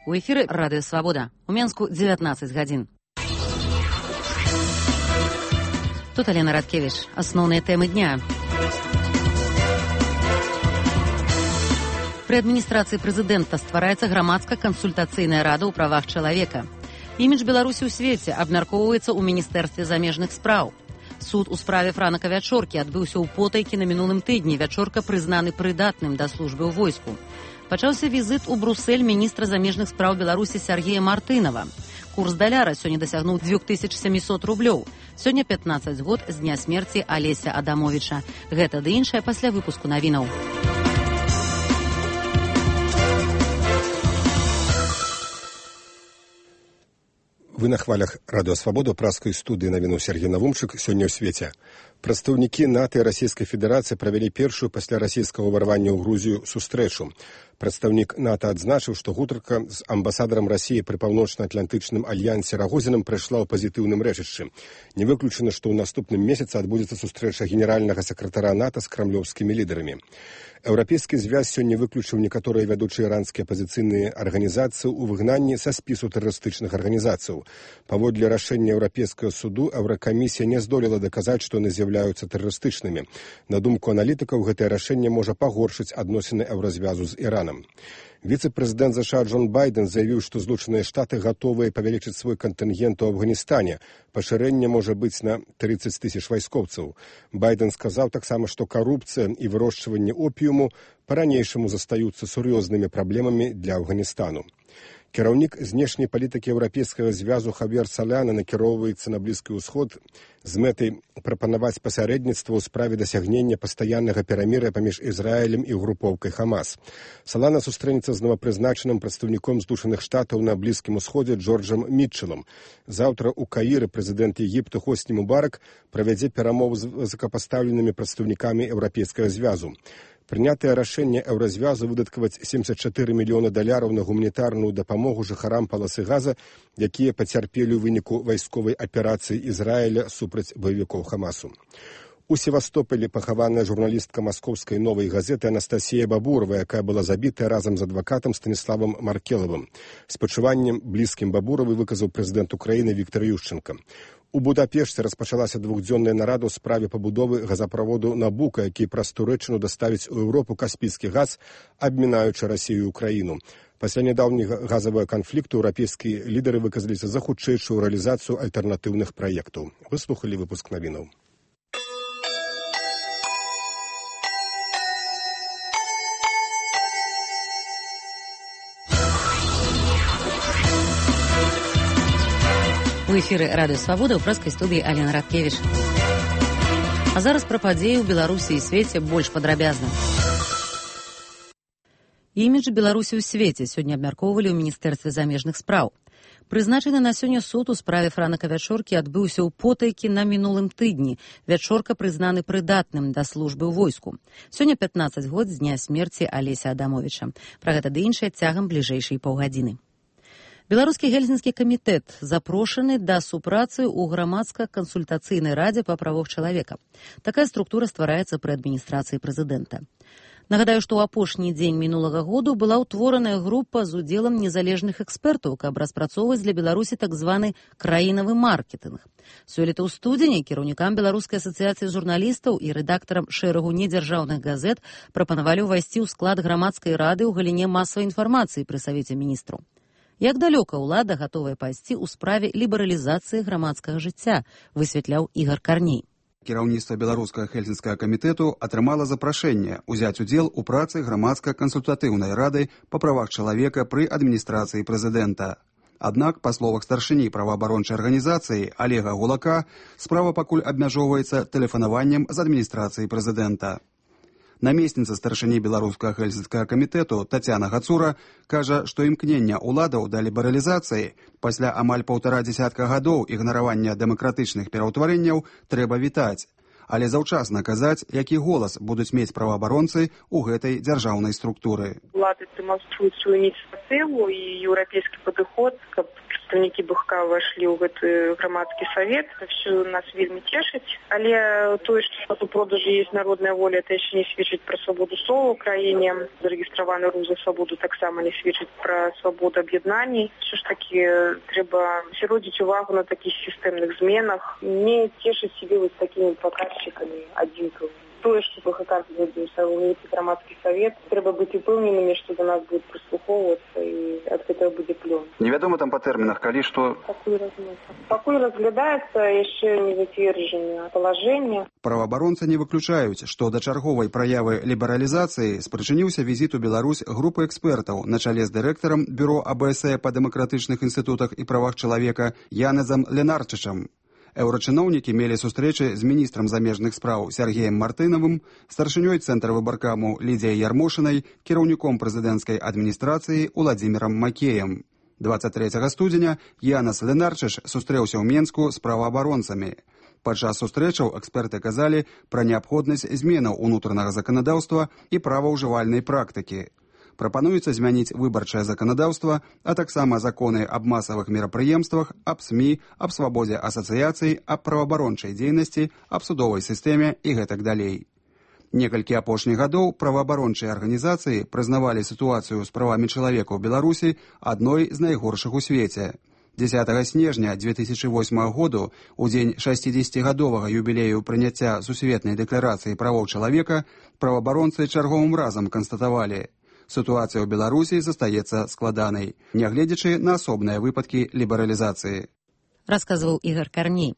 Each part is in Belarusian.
У эфіры Радыё Свабода. У Менску 19 гадзін. Тут Алена Радкевіч. Асноўныя тэмы дня. Пры адміністрацыі прэзідэнта ствараецца грамадска-кансультацыйная рада ў правах чалавека. Імідж Беларусі ў свеце абмяркоўваецца ў Міністэрстве замежных спраў. Суд у справе Франака Вячоркі адбыўся ў Потайкі на мінулым тыдні. Вячорка прызнаны прыдатным да службы ў войску. Пачаўся візіт у Брусель міністра замежных спраў Беларусі Сергея Мартынова. Курс даляра сёння дасягнуў 2700 рублёў. Сёння 15 год з дня смерці Алеся Адамовіча. Гэта ды іншае пасля выпуску навінаў. Вы на хвалях Радыё Свабода, праскай студыі навіну Сергей Навумчык. Сёння ў свеце. Прадстаўнікі НАТО і Расійскай Федэрацыі правялі першую пасля расійскага ўварвання ў Грузію сустрэчу. Прадстаўнік НАТО адзначыў, што гутарка з амбасадарам Расіі пры паўночна-атлантычным альянсе Рагозінам прайшла ў пазітыўным рэчышчы. Не выключана, што ў наступным месяцы адбудзецца сустрэча генеральнага сакратара НАТО з крамлёўскімі лідарамі. Еўрапейскі звяз сёння выключыў некаторыя вядучыя іранскія апазіцыйныя арганізацыі ў выгнанні са спісу тэрарыстычных арганізацыяў. Паводле рашэння Еўрапейскага суду Еўракамісія не здолела даказаць, што яны з'яўляюцца тэрарыстычнымі. На думку аналітыкаў, гэтае рашэнне можа пагоршыць адносіны еўразвязу з Іранам. Віцэ-прэзідэнт США Джон Байден заявіў, што Злучаныя Штаты гатовыя павялічыць свой кантынгент у Афганістане. Пашырэнне можа быць на 30 000 вайскоўцаў. Байден сказаў таксама, што карупцыя і вырошчванне опіуму па-ранейшаму застаюцца сур'ёзнымі праблемамі для Афганістану. Кіраўнік знешняй палітыкі Еўрапейскага звязу Хавьер Соляна накіроўваецца на Блізкі ўсход з мэтай прапанаваць пасярэдніцтва ў справе дасягнення пастаяннага перамір'я паміж Ізраілем і групоўкай Хамас. Солана сустрэнецца з новапрызначаным прадстаўніком Злучаных Штатаў на Блізкім усходзе Джорджам Мітчелам. Заўтра ў Каіры прэзідэнт Егіпта Хосні Мубарак правядзе перамовы з высокапастаўленымі прадстаўнікамі Еўрапейскага звязу. Прынятае рашэнне еўразвязу выдаткаваць $74 мільёны на гуманітарную дапамогу жыхарам паласы Газа, якія пацярпелі ў выніку вайсковай аперацыі Ізраіля супраць баевікоў Хамасу. У Севастополі пахаваная журналістка маскоўскай новай газеты Анастасія Бабурова, якая была забітая разам з адвакатам Станіславам Маркелавым. Спачуваннем блізкім Бабуравай выказаў прэзідэнт Украіны Віктор Ющенко. У Будапешце распачалася двухдзённая нарада ў справе пабудовы газаправоду Набука, які праз Турэччыну даставіць у Еўропу каспійскі газ, абмінаючы Расію і Украіну. Пасля нядаўняга газавага канфлікту еўрапейскія лідары выказаліся за хутчэйшую рэалізацыю альтэрнатыўных праектаў. Выслухалі выпуск навінаў. У эфіры Радыё Свабода ў праскай студыі Алена Радкевіч. А зараз пра падзеі ў Беларусі і свеце больш падрабязна. Імідж Беларусі ў свеце сёння абмяркоўвалі ў Міністэрстве замежных спраў. Прызначаны на сёння суд у справе Франака Вячоркі адбыўся ў Потайкі на мінулым тыдні. Вячорка прызнаны прыдатным да службы ў войску. Сёння 15 год з дня смерці Алеся Адамовіча. Пра гэта ды іншае цягам бліжэйшай паўгадзіны. Беларускі гельсінскі камітэт запрошаны да супрацы ў грамадска-кансультацыйнай радзе па правах чалавека. Такая структура ствараецца пры адміністрацыі прэзідэнта. Нагадаю, што ў апошні дзень мінулага году была ўтвораная група з удзелам незалежных экспертаў, каб распрацоўваць для Беларусі так званы краінавы маркетынг. Сёлета ў студзені кіраўнікам Беларускай асацыяцыі журналістаў і рэдактарам шэрагу недзяржаўных газет прапанавалі ўвайсці ў склад грамадскай рады ў галіне масавай інфармацыі пры Савеце міністраў. Як далёка ўлада гатовая пайсці ў справе лібералізацыі грамадскага жыцця, высвятляў Ігар Карней. Кіраўніцтва Беларускага гельсінскага камітэту атрымала запрашэнне ўзяць удзел у працы грамадска-кансультатыўнай рады па правах чалавека пры адміністрацыі прэзідэнта. Аднак, па словах старшыні праваабарончай арганізацыі Олега Гулака, справа пакуль абмяжоўваецца тэлефанаваннем з адміністрацыі прэзідэнта. Намесніца старшыні Беларускага гельсінскага камітэту Тацяна Гацура кажа, што імкнення ўладаў да лібералізацыі пасля амаль 1,5 гадоў ігнаравання дэмакратычных пераўтварэнняў трэба вітаць. але заўчасна казаць, які голас будуць мець праваабаронцы ў гэтай дзяржаўнай структуры. Улады дэманструюць сваю ініцыятыву і еўрапейскі падыход, каб прадстаўнікі БХК ўвайшлі ў гэты грамадскі савет. Это все нас вельмі цешыць. Але тое, што у продажы есть народная воля, это яшчэ не сведчыць пра свабоду слова ў краіне. Зарэгістраваны рух за свабоду таксама не сведчыць пра свабоду аб'яднаній. Все ж таки трэба сяродзіць увагу на такіх сістэмных зменах. Не цешыць себе вось такімі паказчыкамі адзінкавымі. Тое, што БХК зробіў грамадскі савет, трэба быць упэўненымі, што да нас будуць прыслухоўвацца і ад гэтага будзе плён. Невядома там па тэрмінах, калі што... Пакуль разглядаецца яшчэ не зацверджанае палажэнне. Праваабаронцы не выключаюць, што да чарговай праявы лібералізацыі спрычыніўся візіт у Беларусь групы экспертаў на чале з дырэктарам бюро АБС па дэмакратычных інстытутах і правах чалавека Янезам Ленарчычам. Еўрачыноўнікі мелі сустрэчы з міністрам замежных спраў Сергеем Мартынавым, старшынёй цэнтра выбаркаму Лідзіяй Ярмошынай, кіраўніком прэзідэнцкай адміністрацыі Уладзімірам Макеем. 23 студзеня Янес Ленарчыч сустрэўся ў Менску з праваабаронцамі. Падчас сустрэчаў эксперты казалі пра неабходнасць зменаў унутранага заканадаўства і праваўжывальнай практыкі. Прапануецца змяніць выбарчае заканадаўства, а таксама законы аб масавых мерапрыемствах, аб СМІ, аб свабодзе асацыяцый, аб праваабарончай дзейнасці, аб судовай сістэме і гэтак далей. Некалькі апошніх гадоў праваабарончыя арганізацыі прызнавалі сітуацыю з правамі чалавека ў Беларусі адной з найгоршых у свеце. 10 снежня 2008 году, у дзень 60-гадовага юбілею прыняцця Сусветнай дэкларацыі правоў чалавека, праваабаронцы чарговым разам канстатавалі: ситуация ў Беларусі застаецца складанай, нягледзячы на асобныя выпадкі лібералізацыі. Расказваў Ігор Карней.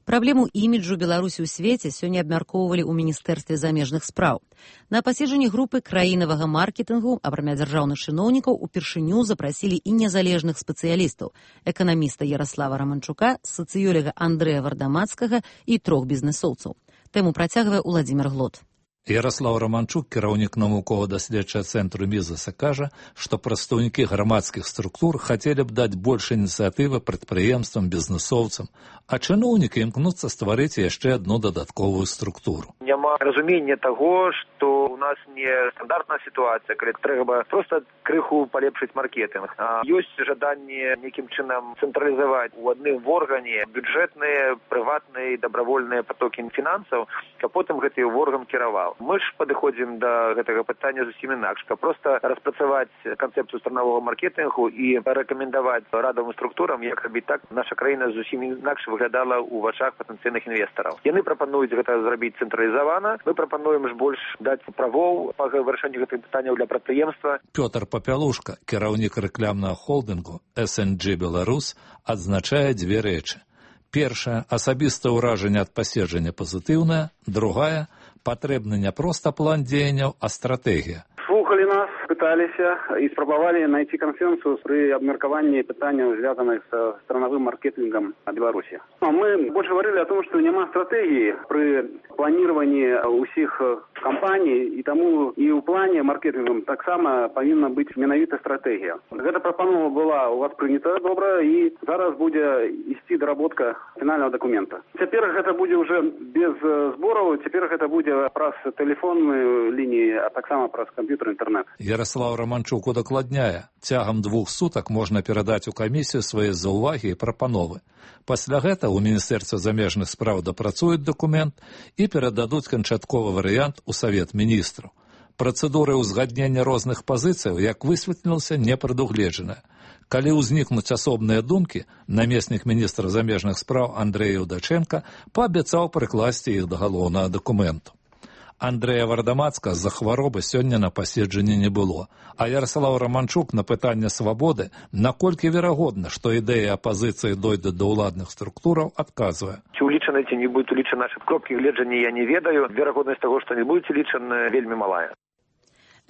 Праблему іміджу Беларусі ў свеце сёння абмяркоўвалі ў Міністэрстве замежных спраў. На паседжанні групы краінавага маркетынгу, акрамя дзяржаўных чыноўнікаў, упершыню запрасілі і незалежных спецыялістаў: эканаміста Яраслава Раманчука, сацыёлага Андрэя Вардамацкага і 3 бізнэсоўцаў. Тэму працягвае Уладзімір Глот. Яраслав Раманчук, кіраўнік навукова-даследчага цэнтру Мізаса, кажа, што прадстаўнікі грамадскіх структур хацелі б даць больш ініцыятывы прадпрыемствам, бізнэсоўцам, а чыноўнікі імкнуцца стварыць яшчэ адну дадатковую структуру. Няма разумення таго, што ў нас не стандартная сітуацыя, калі трэба проста крыху палепшыць маркетинг. Ёсць жаданне нейкім чынам цэнтралізаваць у адным органе бюджэтныя, прыватныя і дабравольныя патокі фінансаў, каб потым гэты орган кіраваў. Мы ж падыходзім да гэтага пытання зусім інакш, каб проста распрацаваць канцэпцыю страновага маркетынгу і рэкамендаваць радавым структурам, як рабіць так, наша краіна зусім інакш выглядала ў вачах патэнцыйных інвестараў. Яны прапануюць гэта зрабіць цэнтралізавана, мы прапануем ж больш даць правоў па вырашэнню гэтых пытанняў для прадпрыемства. Пётр Папялушка, кіраўнік рэкламнага холдынгу SNG Беларус, адзначае 2 рэчы. Першая – асабістае ўражанне ад паседжання пазітыўнае, другая – патрэбны не проста план дзеянняў, а стратэгія. Слухали нас, пыталіся і спрабавалі найти консенсус при абмеркаванні пытанняў, звязаных с страновым маркетингом Беларуси. Мы больше говорили о том, что няма стратегии при планировании усіх кампаний, и тому и у плане маркетингом так само повинна быть менавіта стратегия. Эта пропанова была у вас принята добра, и зараз будет ісці доработка финального документа. Теперь это будет уже без сборов, теперь это будет праз телефонную линии, а так само праз компьютер, интернет. Ярослав Романчук удакладняе, цягам 2 сутак можна перадаць у камісію свае заўвагі і прапановы. Пасля гэта ў Міністэрстве замежных спраў дапрацуюць дакумент і перададуць канчатковы варыянт у Савет міністраў. Працэдуры ўзгаднення розных пазіцыяў, як высветлілася, не прадугледжаная. Калі ўзнікнуць асобныя думкі, намеснік міністра замежных спраў Андрэй Юдачэнка паабяцаў прыкласці іх да галоўнага дакументу. Андрэя Вардамацка з-за хваробы сёння на паседжанні не было, а Ярослав Романчук на пытанне свабоды, наколькі верагодна, што ідэя апазіцыі дойдзе да ўладных структураў, адказвае. Ці улічаны, ці не будуць улічаны нашы кропкі гледжання, я не ведаю. Верагоднасць таго, што не будуць улічаны, вельмі малая.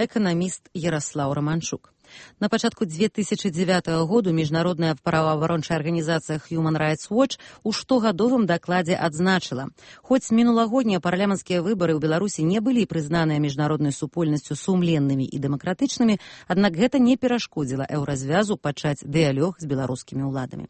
Эканаміст Ярослав Романчук. На пачатку 2009 году міжнародная праваабарончая арганізацыя Human Rights Watch у штогадовым дакладзе адзначыла: хоць мінулагоднія парламенцкія выбары ў Беларусі не былі прызнаныя міжнароднай супольнасцю сумленнымі і дэмакратычнымі, аднак гэта не перашкодзіла еўразвязу пачаць дыялог з беларускімі ўладамі.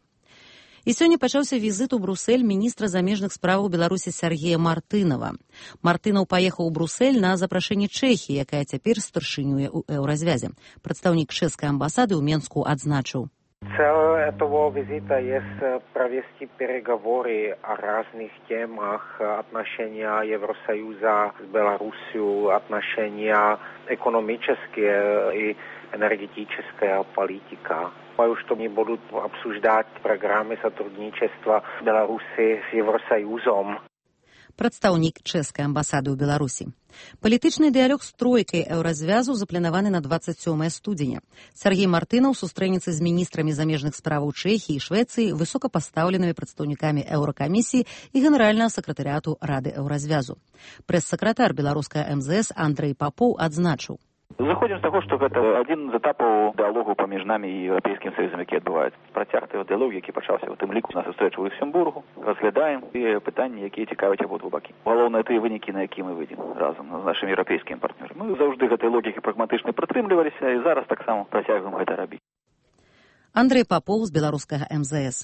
І сёння пачаўся візіт у Брусэль міністра замежных справаў Беларусі Сергея Мартынова. Мартынаў паехаў у Брусэль на запрашэнне Чэхіі, якая цяпер старшынюе ў Еўразвязе. Прадстаўнік чэшскай амбасады ў Менску адзначыў. Цель этого визита есть провести переговоры о разных темах, отношения Евросоюза с Беларусью, отношения экономические и энергетическая политика. Что они будут обсуждать программы сотрудничества Беларуси с Евросоюзом. Прадстаўнік чэшскай амбасады ў Беларусі. Палітычны дыялог з тройкай Еўразвязу запланаваны на 27 студзеня. Сергей Мартынаў сустрэнецца з міністрамі замежных справаў Чэхіі і Швецыі, высокапастаўленымі прадстаўнікамі Еўракамісіі і генеральнага сакратарыяту Рады Еўразвязу. Прэс-сакратар беларускага МЗС Андрэй Папоў адзначыў. Заходзім з таго, што гэта адзін з этапаў дыалогу паміж намі і Еўрапейскім Саюзам, які адбываецца. Працяг той дыалог, які пачаўся ў тым ліку на сустрэчы ў Люксембургу. Разглядаем тыя пытанні, якія цікавяць абодва бакі. Галоўнае тыя вынікі, на якія мы выйдзем разам з нашымі еўрапейскімі партнёрамі. Мы заўжды гэтай логікі прагматычна прытрымліваліся і зараз таксама працягваем гэта рабіць. Андрэй Папоў з беларускага МЗС.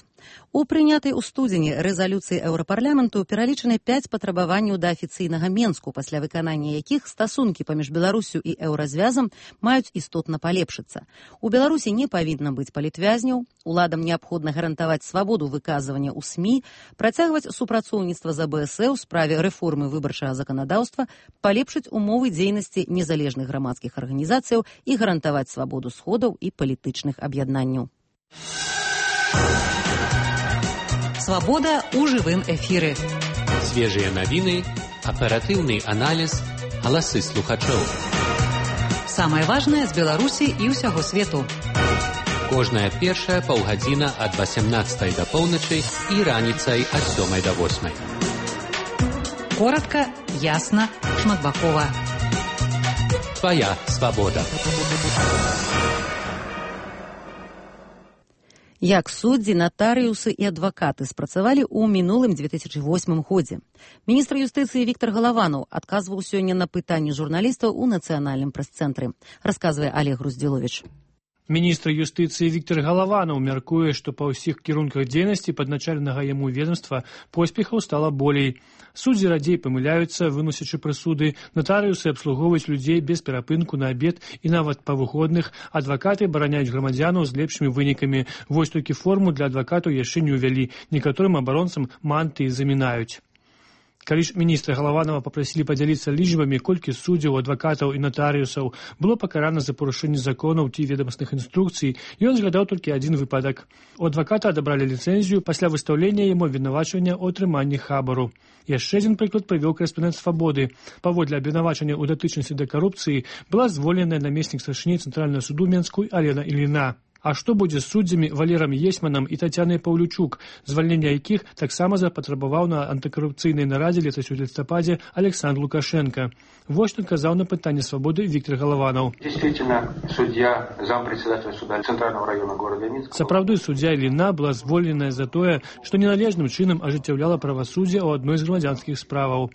У прынятай у студзені рэзалюцыі Еўрапарламенту пералічаны 5 патрабаванняў да афіцыйнага Менску, пасля выканання якіх стасункі паміж Беларусю і Еўразвязам маюць істотна палепшыцца. У Беларусі не павінна быць палітвязняў, уладам неабходна гарантаваць свабоду выказвання ў СМІ, працягваць супрацоўніцтва з АБС у справе рэформы выбарчага заканадаўства, палепшыць умовы дзейнасці незалежных грамадскіх арганізацыяў і гарантаваць свабоду сходаў і палітычных аб'яднанняў. Свабода ў жывым эфіры. Свежыя навіны, аператыўны аналіз, галасы слухачоў. Самае важнае з Беларусі і ўсяго свету. Кожная першая паўгадзіна ад 18 да поўначы і раніцай ад 7 да 8. Коратка, ясна, шматбакова. Твая свабода. Як суддзі, натарыусы і адвакаты спрацавалі ў мінулым 2008 годзе. Міністр юстыцыі Віктор Галаванаў адказваў сёння на пытанні журналістаў у нацыянальным прэс-цэнтры. Расказвае Олег Груздзіловіч. Міністр юстыцыі Віктор Галаванаў мяркуе, што па ўсіх кірунках дзейнасці падначаленага яму ведомства поспехаў стала болей. Суддзі радзей памыляюцца, выносячы прысуды, натарыусы абслугоўваюць людзей без перапынку на абед і нават па выходных, адвакаты бараняюць грамадзянаў з лепшымі вынікамі. Вось толькі форму для адвакатаў яшчэ не ўвялі, некаторым абаронцам манты замінаюць. Калі ж міністра Галаванова папрасілі падзяліцца лічбамі, колькі суддзяў, адвакатаў і натарыусаў было пакарана за парушэнне законаў ці ведамасных інструкцый, ён згадаў толькі адзін выпадак. У адваката адабралі ліцэнзію пасля выстаўлення яму абвінавачвання ў атрыманні хабару. Яшчэ адзін прыклад прывёў корэспандэнт «Свабоды». Паводле абвінавачання ў датычнасці да карупцыі была звольненая намеснік старшыні Цэнтральнага суду Менску Алена Ільіна. А што будзе з суддзямі Валерам Есьманам і Тацянай Паўлючук, звальнення якіх таксама запатрабаваў на антыкарупцыйнай нарадзе летась у лістападзе Александр Лукашенко? Вось што казаў на пытанне «Свабоды» Віктор Галаванаў. Действительно, судья, зампредседателя суда Центрального района города Минска. Сапраўды, суддзя Іліна была звольненая за тое, што неналежным чынам ажыццяўляла правасуддзе ў адной з грамадзянскіх справаў.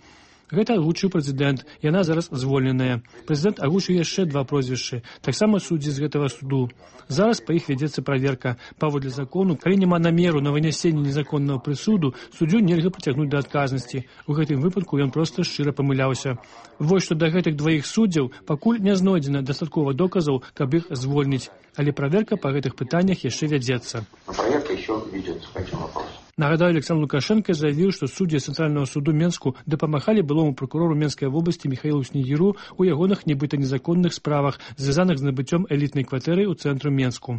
Гэта агучыў прэзідэнт, яна зараз звольненая. Прэзідэнт агучыў яшчэ 2 прозвішчы, таксама суддзі з гэтага суду. Зараз па іх вядзецца праверка. Паводле закону, калі няма намеру на вынясенне незаконнага прысуду, суддзю нельга прыцягнуць да адказнасці. У гэтым выпадку ён проста шчыра памыляўся. Вось што да гэтых 2 суддзяў пакуль не знойдзена дастаткова доказаў, каб іх звольніць. Але праверка па гэтых пытаннях яшчэ вядзецца. Праверка еще ведется по этим вопросам. Нагадаю, Александр Лукашенко заявил, что судьи Центрального суду Менску дапамагалі былому прокурору Менской области Михаилу Снегиру у ягоных нібыта незаконных справах, звязаных з набыццём элітнай кватэры ў цэнтру Менску.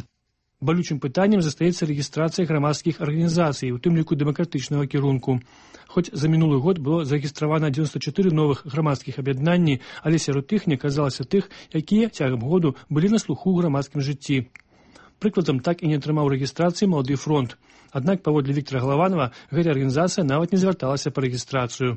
Балючым пытаннем застаецца рэгістрацыя грамадскіх арганізацый, у тым ліку дэмакратычнага кірунку. Хоць за мінулы год было зарэгістравана 94 новых грамадскіх аб'яднанні, але сярод іх не аказалася тых, якія цягам году былі на слуху ў грамадскім жыцці. Прыкладам, так і не атрымаў рэгістрацыі «Малады фронт». Аднак, паводле Віктора Галаванова, гэтая арганізацыя нават не звярталася па рэгістрацыю.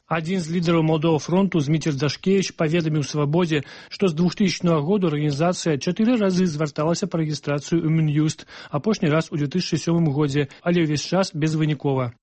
Адзін з лідараў «Маладога фронту» Зміцер Дашкевіч паведаміў «Свабодзе», што з 2000 году арганізацыя 4 разы звярталася па рэгістрацыю ў Мін'юст, апошні раз у 2007 годзе, але ўвесь час безвынікова.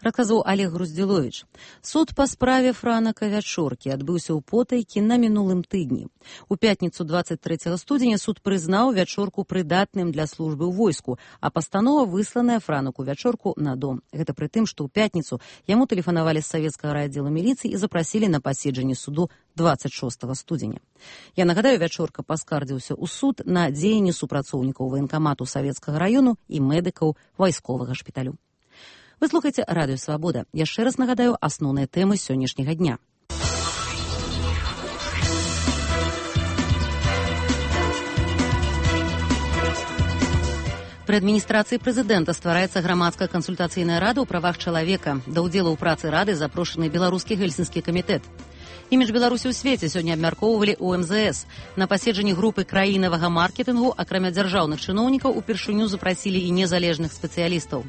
расказаў Олег Груздзіловіч. Суд па справе Франака Вячоркі адбыўся ў Потайкі на мінулым тыдні. У пятніцу 23 студзеня суд прызнаў Вячорку прыдатным для службы ў войску, а пастанова высланая Франаку Вячорку на дом. Гэта пры тым, што ў пятніцу яму тэлефанавалі з савецкага райаддзела міліцыі і запрасілі на паседжанне суду 26 студзеня. Я нагадаю, Вячорка паскардзіўся ў суд на дзеянні супрацоўнікаў ваенкамату Савецкага раёну і медыкаў вайсковага шпіталю. Вы слухаеце Радыё Свабода. Яшчэ раз нагадаю асноўныя тэмы сённяшняга дня. Пры адміністрацыі прэзідэнта ствараецца грамадская кансультацыйная рада ў правах чалавека. Да ўдзелу ў працы рады запрошаны беларускі гельсінскі камітэт. Імідж Беларусі ў свеце сёння абмяркоўвалі ў МЗС. На паседжанні групы краінавага маркетынгу, акрамя дзяржаўных чыноўнікаў, упершыню запрасілі і незалежных спецыялістаў.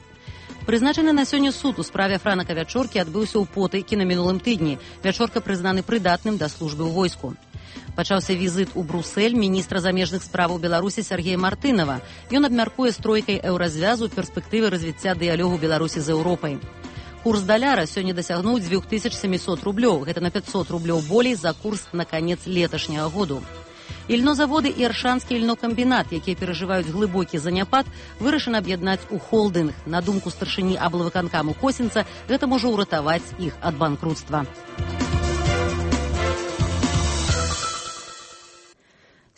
Прызначаны на сёння суд у справе Франака Вячоркі адбыўся ў Потайкі на мінулым тыдні. Вячорка прызнаны прыдатным да службы ў войску. Пачаўся візіт у Брусэль міністра замежных справаў Беларусі Сергея Мартынова. Ён абмяркуе з тройкай еўразвязу перспектывы развіцця дыялогу Беларусі з Еўропай. Курс даляра сёння дасягнуў 2700 рублёў. Гэта на 500 рублёў болей за курс на канец леташняга году. Ільнозаводы і Аршанскі ільнокамбінат, якія перажываюць глыбокі заняпад, вырашана аб'яднаць у холдынг. На думку старшыні аблвыканкаму Косінца, гэта можа ўратаваць іх ад банкрутства.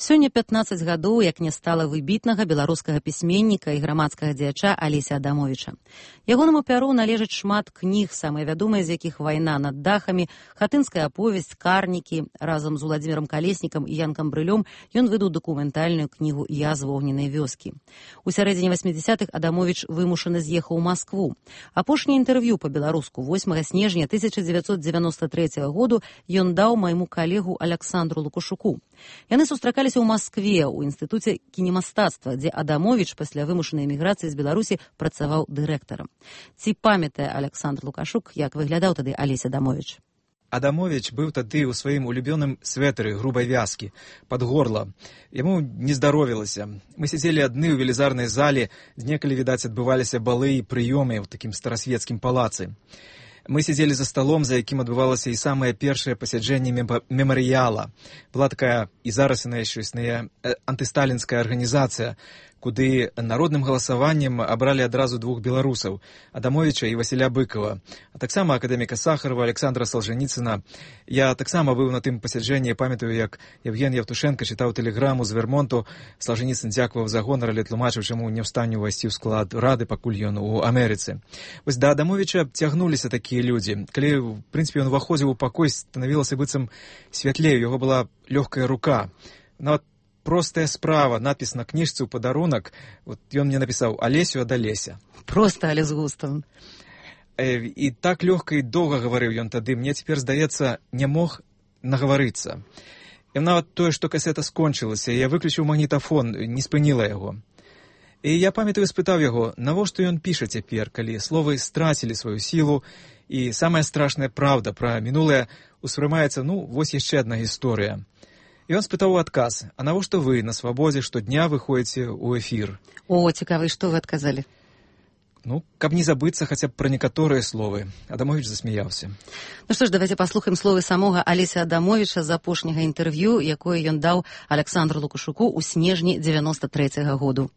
Сёння 15 гадоў, як не стала выбітнага беларускага пісьменніка і грамадскага дзеяча Алеся Адамовіча. Ягонаму пяру належыць шмат кніг, самыя вядомыя з якіх «Вайна над дахамі», «Хатынская аповесць», «Карнікі». Разам з Уладзімірам Калеснікам і Янкам Брылём ён выдаў дакументальную кнігу «Я з вогненай вёскі». У сярэдзіне 80-х Адамовіч вымушана з'ехаў у Маскву. Апошняе інтэрв'ю па-беларуску 8 снежня 1993 году ён даў майму калегу Аляксандру Лукашуку. Яны сустракаліся ў Маскве, у інстытуце кінемастацтва, дзе Адамовіч пасля вымушанай эміграцыі з Беларусі працаваў дырэктарам. Ці памятае Аляксандр Лукашук, як выглядаў тады Алесь Адамовіч? Адамовіч быў тады ў сваім улюбёным свэтары грубай вязкі, пад горла. Яму не здаровілася. Мы сядзелі адны ў велізарнай зале, дзе некалі, відаць, адбываліся балы і прыёмы ў такім старасвецкім палацы. Мы сидзелі за столом, за якім адбывалася і самае першае пасяджэнне мемарыяла. Была такая, і зараз яна яшчэ існуе, антысталінская арганізацыя, куды народным галасаваннем абралі адразу двух беларусаў, Адамовіча і Васіля Быкова, а таксама акадэміка Сахарова, Александра Солженіцына. Я таксама быў на тым пасяджэнні, памятаю, як Евген Евтушенко чытаў тэлеграму з Вермонту. Солженіцын дзякаваў за гонар, але тлумачыў, чаму не ў стане ўвайсці ў склад рады, пакуль ён у Амерыцы. Вось да Адамовіча цягнуліся такія людзі. Калі, в прынцыпе, ён уваходзіў у пакой, станавілася быццам святлей, у яго была лёгкая рука. Нават простая справа, надпіс на кніжцы ў падарунак. Вот ён мне напісаў «Алесю ад Алеся». Проста, але з густам. І так лёгка і доўга гаварыў ён тады. Мне цяпер, здаецца, не мог нагаварыцца. І нават тое, што касета скончылася, я выключыў магнітафон, не спыніла яго. І я памятаю, спытаў яго, навошта ён піша цяпер, калі словы страцілі сваю сілу, і самая страшная праўда пра мінулае успрымаецца, вось яшчэ адна гісторыя. І ён спытаў у адказ, а навошта вы на свабодзе штодня выходзіце ў эфір? О, цікава, і што вы адказалі? Каб не забыцца хаця б пра некаторыя словы. Адамовіч засмяяўся. Што ж, давайте паслухаем словы самога Алеся Адамовіча з апошняга інтэрв'ю, якое ён даў Аляксандру Лукашуку ў снежні 93-го году.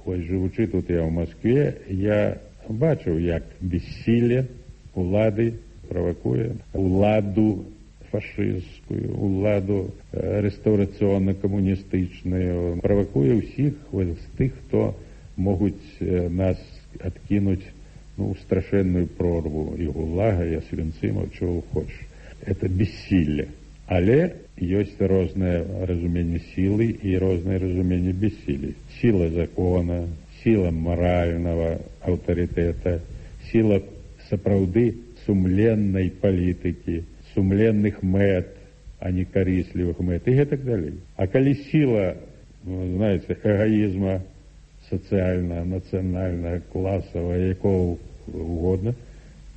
Хоць жывучы тут я ў Маскве, я бачыў, як бессілле улады правакуе уладу фашысцкую, уладу рэстаўрацыённа-камуністычную, правакуе ўсіх з тых, хто могуць нас адкінуць у страшэнную прорву і гулага, і асвенцымаў, чого хочаш. Это бессілле. Але ёсць рознае разуменне сілы і рознае разуменне бессілля. Сіла закона, сіла маральнага аўтарытэта, сіла сапраўды сумленнай палітыкі, сумленных мэт, а не карыслівых мэт, і гэтак далей. А калі сіла, знаеце, эгоізма социального, национального, классового, якого угодно,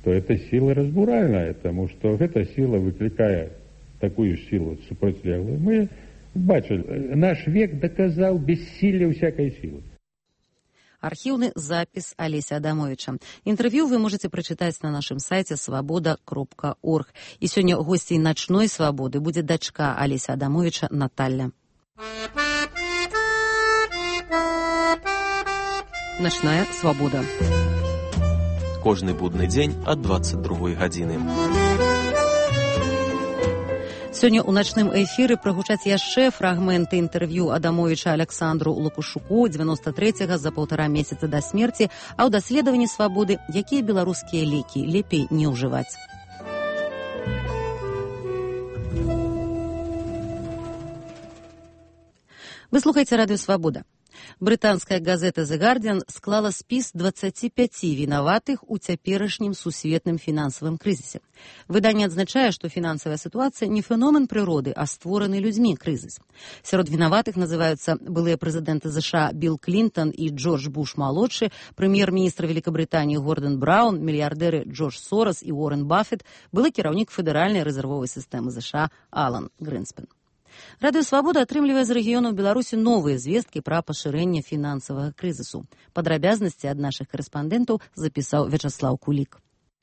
то эта сила разбуральная, потому что эта сила выкликает такую силу супротивлеглую. Мы бачили, наш век доказал бессилие всякой силы. Архивный запись Олеся Адамовича. Интервью вы можете прочитать на нашем сайте svoboda.org. И сегодня гостей «Ночной свободы» будет дочка Олеся Адамовича Наталья. Ночная свобода. Кожны будны дзень ад 22 гадзіны. Сёння ў начным эфіры прагучаць яшчэ фрагменты інтэрв'ю Адамовіча Аляксандру Лапушуку 93-го за 1,5 месяца да смерці, а ў даследаванні свабоды, якія беларускія лекі лепей не ўжываць. Вы слухаеце радыё «Свабода». Брытанская газета «The Guardian» склала спіс 25 вінаватых у цяперашнім сусветным фінансавым крызісе. Выданне адзначае, што фінансавая сітуацыя не феномен прыроды, а створаны людзьмі крызіс. Сярод вінаватых называюцца былыя прэзідэнты США Билл Клінтон і Джордж Буш-малодшы, прэм'ер-міністр Великабрытаніі Гордон Браун, мільярдэры Джордж Сорос і Уоррен Баффет, былы кіраўнік федэральнай рэзервовай сістэмы США Алан Грынспен. Радыё «Свабода» атрымлівае з рэгіёнаў Беларусі новыя звесткі пра пашырэнне фінансавага крызісу. Падрабязнасці ад нашых карэспандэнтаў запісаў Вячаслаў Кулік.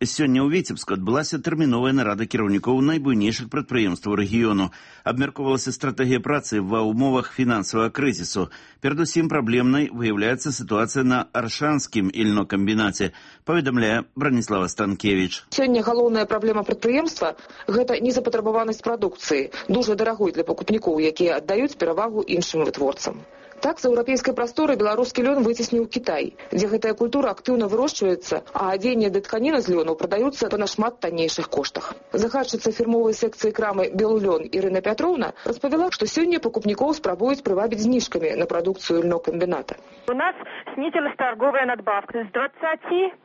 Сёння ў Віцебску адбылася тэрміновая нарада кіраўнікоў найбуйнейшых прадпрыемстваў рэгіёну. Абмяркоўвалася стратэгія працы ва ўмовах фінансавага крызісу. Перадусім праблемнай выяўляецца сітуацыя на Аршанскім ільнокамбінаце, паведамляе Браніслава Станкевіч. Сёння галоўная праблема прадпрыемства – гэта незапатрабаванасць прадукцыі, дужа дарагой для пакупнікоў, якія аддаюць перавагу іншым вытворцам. Так, з еўрапейскай прасторы беларускі лён выцесніў Кітай, дзе гэтая культура актыўна вырошчваецца, а адзенне ды тканіна з лёну прадаюцца па нашмат таннейшых коштах. Загадчыца фірмовай секцыі крамы «Белулён» Ірына Пятроўна распавяла, што сёння пакупнікоў спрабуюць прывабіць зніжкамі на прадукцыю льнокамбіната. У нас снизилась торговая надбавка с 20%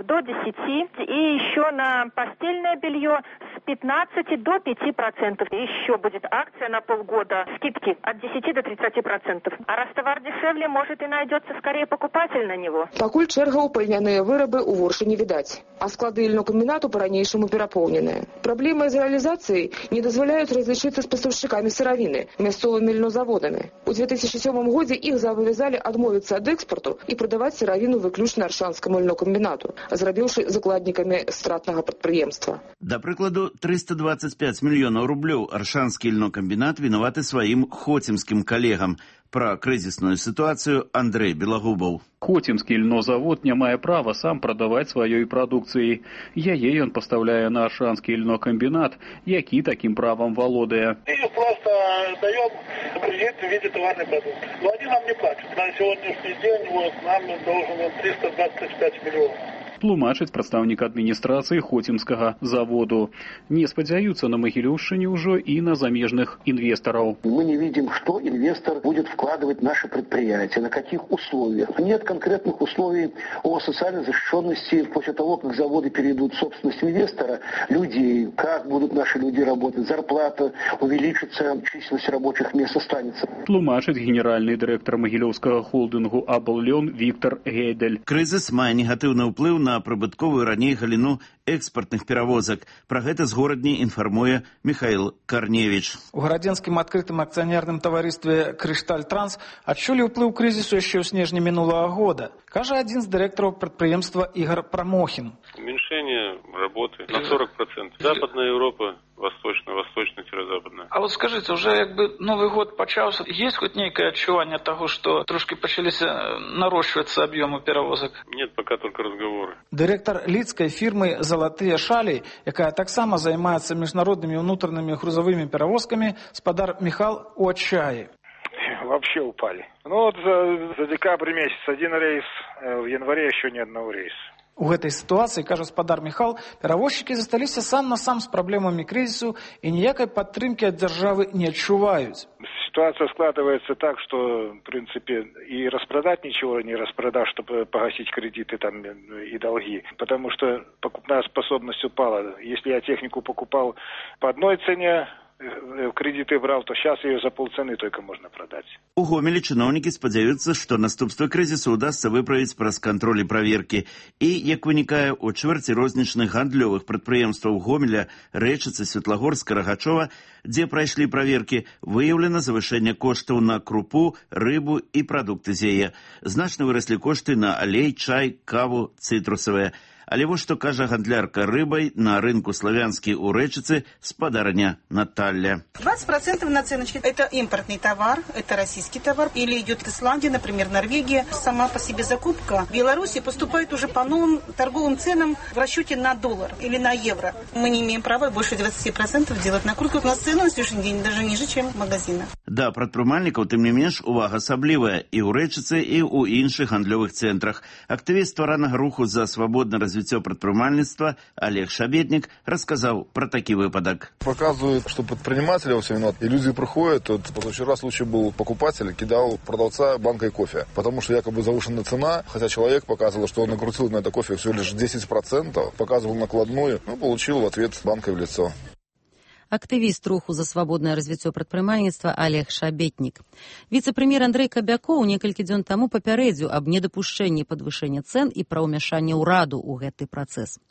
до 10%, и еще на постельное белье с 15 до 5%. Еще будет акция на полгода, скидки от 10 до 30%. А раз товар дешевле, может и найдется скорее покупатель на него. Пакуль чэрга ў пальняныя вырабы ў воршы не відаць, а склады льнокамбінату па-ранейшаму перапоўненыя. Праблемы з рэалізацыяй не дазваляюць разлічыцца з пастаўшчыкамі сыравіны, мясцовымі льнозаводамі. У 2007 годзе іх зобавязалі адмовіцца ад экспорту і прадаваць сыравіну выключна Аршанскаму льнокамбінату, зрабіўшы закладнікамі стратнага прадпрыемства. Да прыкладу, 325 мільёнаў рублёў Аршанскі льнокамбінат вінаваты сваім хоцімскім калегам. Пра крызісную сітуацыю Андрэй Белагубаў. Хоцімскі льнозавод не мае права сам прадаваць сваёй прадукцыяй. Яе ён пастаўляе на Аршанскі льнокамбінат, які такім правам валодае. Мы просто даем кредит в виде товарной продукции. Но они нам не платят. На сегодняшний день нам должен 325 миллионов. Тлумачыць прадстаўнік адміністрацыі хоцімскага заводу. Не спадзяюцца на Магілёўшчыне ўжо і на замежных инвесторов. Мы не видим, что инвестор будет вкладывать в наше предприятие, на каких условиях. Нет конкретных условий о социальной защищенности после того, как заводы перейдут в собственность инвестора, людей, как будут наши люди работать, зарплата увеличится, численность рабочих мест останется. Тлумачыць генеральный директор Магілёўскага холдингу «Абллён» Віктор Гейдель. Крызіс мае негатыўны ўплыў на прыбытковую раней галіну экспартных перавозак. Пра гэта з горадні інфармуе Михаил Карневич. У гарадзенскім адкрытым акцыянерным таварыстве «Крышталь Транс» адчулі ўплыў крызісу яшчэ ў снежні минулого года. Кажа адзін з дырэктараў прадпрыемства Игорь Промохин. Уменьшение работы на 40%. Западная Европа, восточно-западная. А вот скажите, уже якби Новый год почался, есть хоть некое отчувание того, что трошки начались нарощиваться объемы перевозок? Нет, пока только разговоры. Директор лидской фирмы «Золотые шали», якая так само занимается международными внутренними грузовыми перевозками, спадар Михал у отчаи. Вообще упали. Ну вот за декабрь месяц один рейс, в январе еще ни одного рейса. У гэтай сітуацыі, кажа спадар Михал, перавозчыкі засталіся сам на сам з праблемамі крызісу і ніякай падтрымкі ад дзяржавы не адчуваюць. Ситуация складывается так, что, в принципе, и распродать ничего не распродашь, чтобы погасить кредиты там и долги. Потому что покупная способность упала. Если я технику покупал по одной цене, кредиты брал, то сейчас ее за полцены только можно продать. У Гомелі чыноўнікі спадзяюцца, што наступствы крызісу ўдасца выправіць праз кантроль і праверкі. І, як вынікае, у чвэрці рознічных гандлёвых прадпрыемстваў Гомеля, Рэчыцы, Светлагорска, Рагачова, дзе прайшлі праверкі, выяўлена завышэнне коштаў на крупу, рыбу і прадукты з яе. Значна выраслі кошты на алей, чай, каву, цытрусавыя. Але вось што кажа гандлярка рыбай на рынку Славянскі у Рэчыцы спадарня Наталья. 20% наценочки. Это импортный товар, это российский товар. Или идет Исландия, например, Норвегия. Сама по себе закупка в Беларуси поступает уже по новым торговым ценам в расчете на доллар или на евро. Мы не имеем права больше 20% делать накрутку. У нас цены на сегодняшний день даже ниже, чем магазина. Да, прадпрымальнікаў, тым не менш, увага асаблівая і ў Рэчыцы, і ў іншых гандлёвых цэнтрах. Актывіст стваранага руху за свабодна развіццё прадпрымальніцтва Олег Шабетнік рассказал про такие выпадок. Показывает, что предприниматели во все виноваты. И люди приходят, вот позавчера случай был, покупатель кидал продавца банкой кофе, потому что якобы завышена цена, хотя человек показывал, что он накрутил на это кофе всего лишь 10%, показывал накладную, получил в ответ банкой в лицо. Актывіст руху за свабоднае развіццё прадпрымальніцтва Олег Шабетнік. Віцэ-прэм'ер Андрэй Кабякоў некалькі дзён таму папярэдзіў аб недапушчэнні падвышэння цэн і пра ўмяшанне ўраду ў гэты працэс.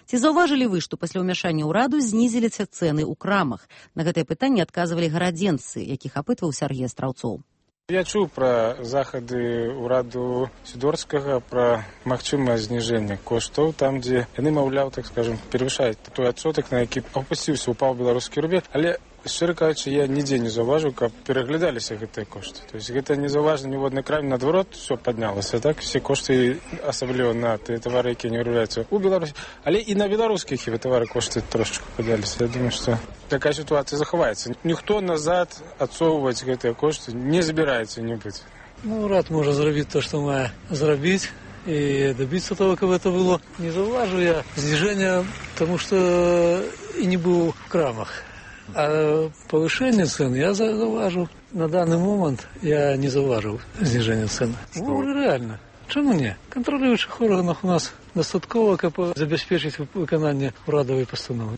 Ці заўважылі вы, што пасля ўмяшання ўраду знізіліся цэны ў крамах? На гэтае пытанне адказвалі гарадзенцы, якіх апытваў Сяргей Астраўцоў. Я чуў пра захады ўраду Сідорскага пра магчымае зніжэнне коштаў там, дзе яны, маўляў, так скажем, перавышаюць той адсотак, на які апусціўся, упаў беларускі рубель, але шчыра кажучы, я нідзе не заўважыў, каб пераглядаліся гэтыя кошты. То есть гэта не заўважна ніводнай краме, наадварот, все паднялася, так? Все кошты, асабліва на тыя тавары, якія не вырабляюцца ў Беларусі, але і на беларускіх тавары кошты трошечку падняліся. Я думаю, што такая ситуация захаваецца. Ніхто назад адсоўваць гэтыя кошты не збіраецца нібыць. Урад можа зрабіць то, што мае зрабіць, і добиться того, каб это было. Не заўважу я зніжэння, тому што і не быў в крамах. А повышение цен я заўважу. На данный момент я не заўважыў зніжэння цен. Реально. Чому не? Контролюючых органах у нас достаткова, каб забеспечить выкананне урадовой постановы.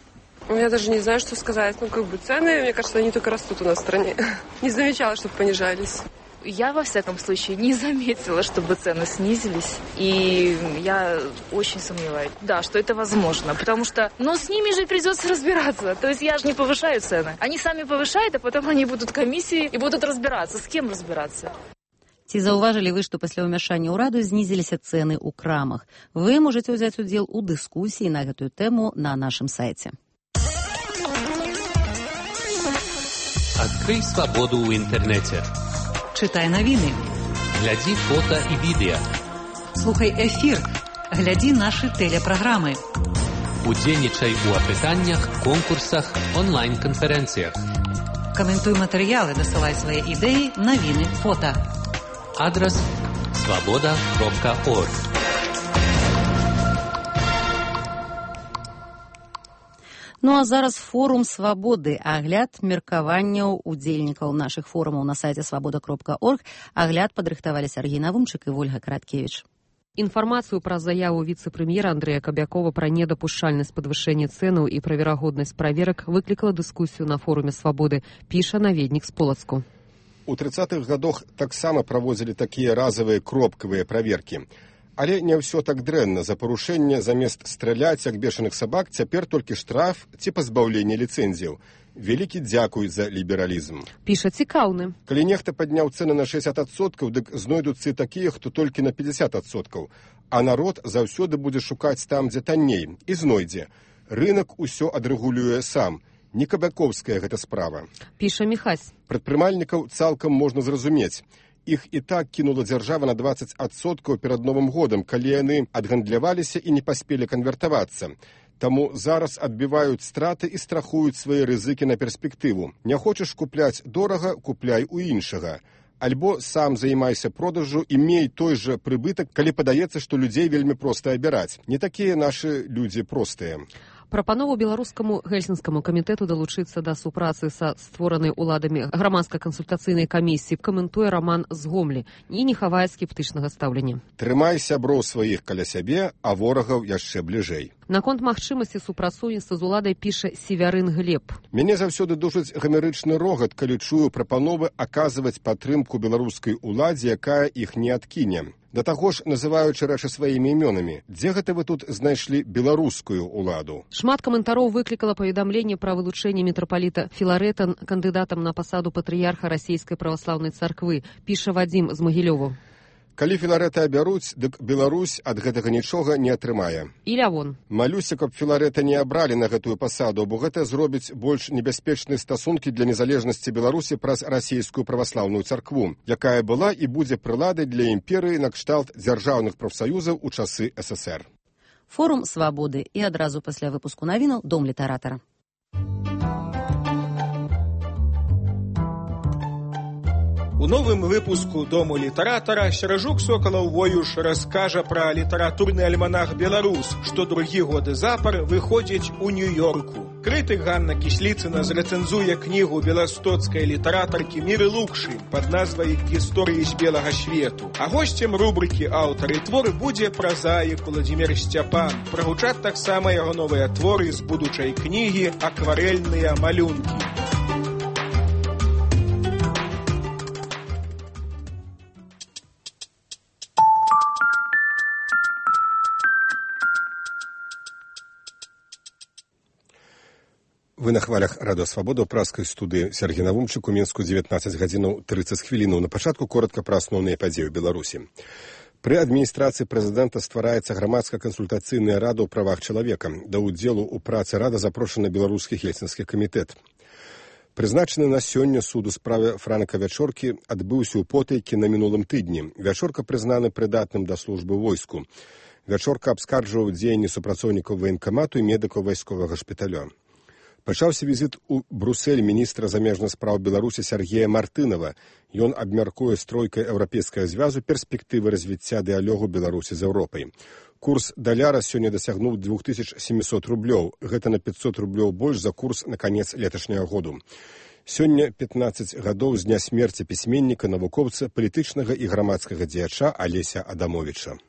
Я даже не знаю, что сказать. Цены, мне кажется, они только растут у нас в стране. Не замечала, чтобы понижались. Я, во всяком случае, не заметила, чтобы цены снизились, и я очень сомневаюсь, да, что это возможно, потому что, с ними же придется разбираться, то есть я же не повышаю цены, они сами повышают, а потом они будут комиссии и будут разбираться, с кем разбираться. Ці заўважылі вы, што пасля ўмяшання ўраду знізіліся цэны ў крамах? Вы можаце ўзяць удзел у дыскусіі на гэтую тэму на нашым сайце. Адкрый свабоду ў інтэрнэце. Читай новины. Гляди фото и видео. Слухай эфир. Гляди наши телепрограммы. Удзельнічай у апытаннях, конкурсах, онлайн-конференциях. Комментуй материалы, досылай свои идеи, новины, фото. Адрес svoboda.org. Ну а зараз форум свабоды, агляд меркаванняў удзельнікаў нашых форумаў на сайце svoboda.org. Агляд падрыхтавалі Сергей Навумчык і Вольга Караткевіч. Інфармацыю пра заяву віцэ-прэм'ера Андрэя Кабякова пра недапушчальнасць падвышэння цэнаў і пра верагоднасць праверак выклікала дыскусію на форуме свабоды, піша наведнік з Полацку. У 30-х гадах таксама праводзілі такія разавыя кропкавыя праверкі. Але не ўсё так дрэнна. За парушэнне замест страляць, як бешаных сабак, цяпер толькі штраф ці пазбаўленне ліцэнзіяў. Вялікі дзякуй за лібералізм. Піша цікаўны. Калі нехта падняў цэны на 60%, дык знойдуцца і такія, хто толькі на 50%. А народ заўсёды будзе шукаць там, дзе танней, і знойдзе. Рынак усё адрэгулюе сам. Не кабякоўская гэта справа. Піша Міхась. Прадпрымальнікаў цалкам можна зразумець. Іх і так кінула дзяржава на 20% перад Новым годам, калі яны адгандляваліся і не паспелі канвертавацца. Таму зараз адбіваюць страты і страхуюць свае рызыкі на перспектыву. Не хочаш купляць дорага, купляй у іншага. Альбо сам займайся продажу і мей той жа прыбытак, калі падаецца, што людзей вельмі проста абіраць. Не такія нашы людзі простыя. Прапанову беларускаму гельсінскаму камітэту далучыцца да супрацы са створанай уладамі грамадска-кансультацыйнай камісіі каментуе Роман з Гомлі і не хавае скептычнага стаўлення. Трымай сяброў сваіх каля сябе, а ворагаў яшчэ бліжэй. Наконт магчымасці супрацоўніцтва з уладай піша Севярын Глеб. Мяне заўсёды душыць гамерычны рогат, калі чую прапановы аказваць падтрымку беларускай уладзе, якая іх не адкіне. Да таго ж, называючы рэчы сваімі імёнамі, дзе гэта вы тут знайшлі беларускую уладу? Шмат каментароў выклікала паведамленне пра вылучэнне мітрапаліта Філарэта кандыдатам на пасаду патрыярха расійскай праваслаўнай царквы, піша Вадзім з Магілёву. Калі Філарэта абяруць, дык Беларусь ад гэтага нічога не атрымае. І лявон. Малюся, каб Філарэта не абралі на гэтую пасаду, бо гэта зробіць больш небяспечныя стасункі для незалежнасці Беларусі праз расійскую праваслаўную царкву, якая была і будзе прыладай для імперыі накшталт дзяржаўных прафсаюзаў у часы ССР. Форум свабоды і адразу пасля выпуску навінаў Дом літаратара. У новым выпуску Дому літаратара Серажук Сокалаў-Воюш раскажа пра літаратурны альманах «Беларус», што другі годы запар выходзіць у Нью-Йорку. Крытык Ганна Кісліцына зрэцэнзуе кнігу беластоцкай літаратаркі Міры Лукшы пад назвай «Гісторыі з белага свету». А госцем рубрыкі «Аўтар і твор» будзе празаік Уладзімір Сцяпан. Прагучаць таксама яго новыя творы з будучай кнігі «Акварэльныя малюнкі». Вы на хвалях Радыё Свабода ў праскай студыі Сергей Навумчык, у Мінску 19 гадзінаў 30 хвілінаў. На пачатку коротка пра асноўныя падзеі ў Беларусі. Пры адміністрацыі прэзідэнта ствараецца грамадска-кансультацыйная рада ў правах чалавека. Да ўдзелу ў працы рада запрошаны беларускі гельсінскі камітэт. Прызначаны на сёння суд у справе Франака Вячоркі адбыўся ў Потайкі на мінулым тыдні. Вячорка прызнаны прыдатным да службы войску. Вячорка абскарджваў дзеянні супрацоўнікаў ваенкамату і медыкаў вайсковага шпіталя. Пачаўся візіт у Брусэль міністра замежных спраў Беларусі Сергея Мартынова. Ён абмяркуе з тройкай еўрапейскага звязу перспектывы развіцця дыялогу Беларусі з Еўропай. Курс даляра сёння дасягнуў 2700 рублёў. Гэта на 500 рублёў больш за курс на канец леташняга году. Сёння 15 гадоў з дня смерці пісьменніка, навукоўца, палітычнага і грамадскага дзеяча Алеся Адамовіча.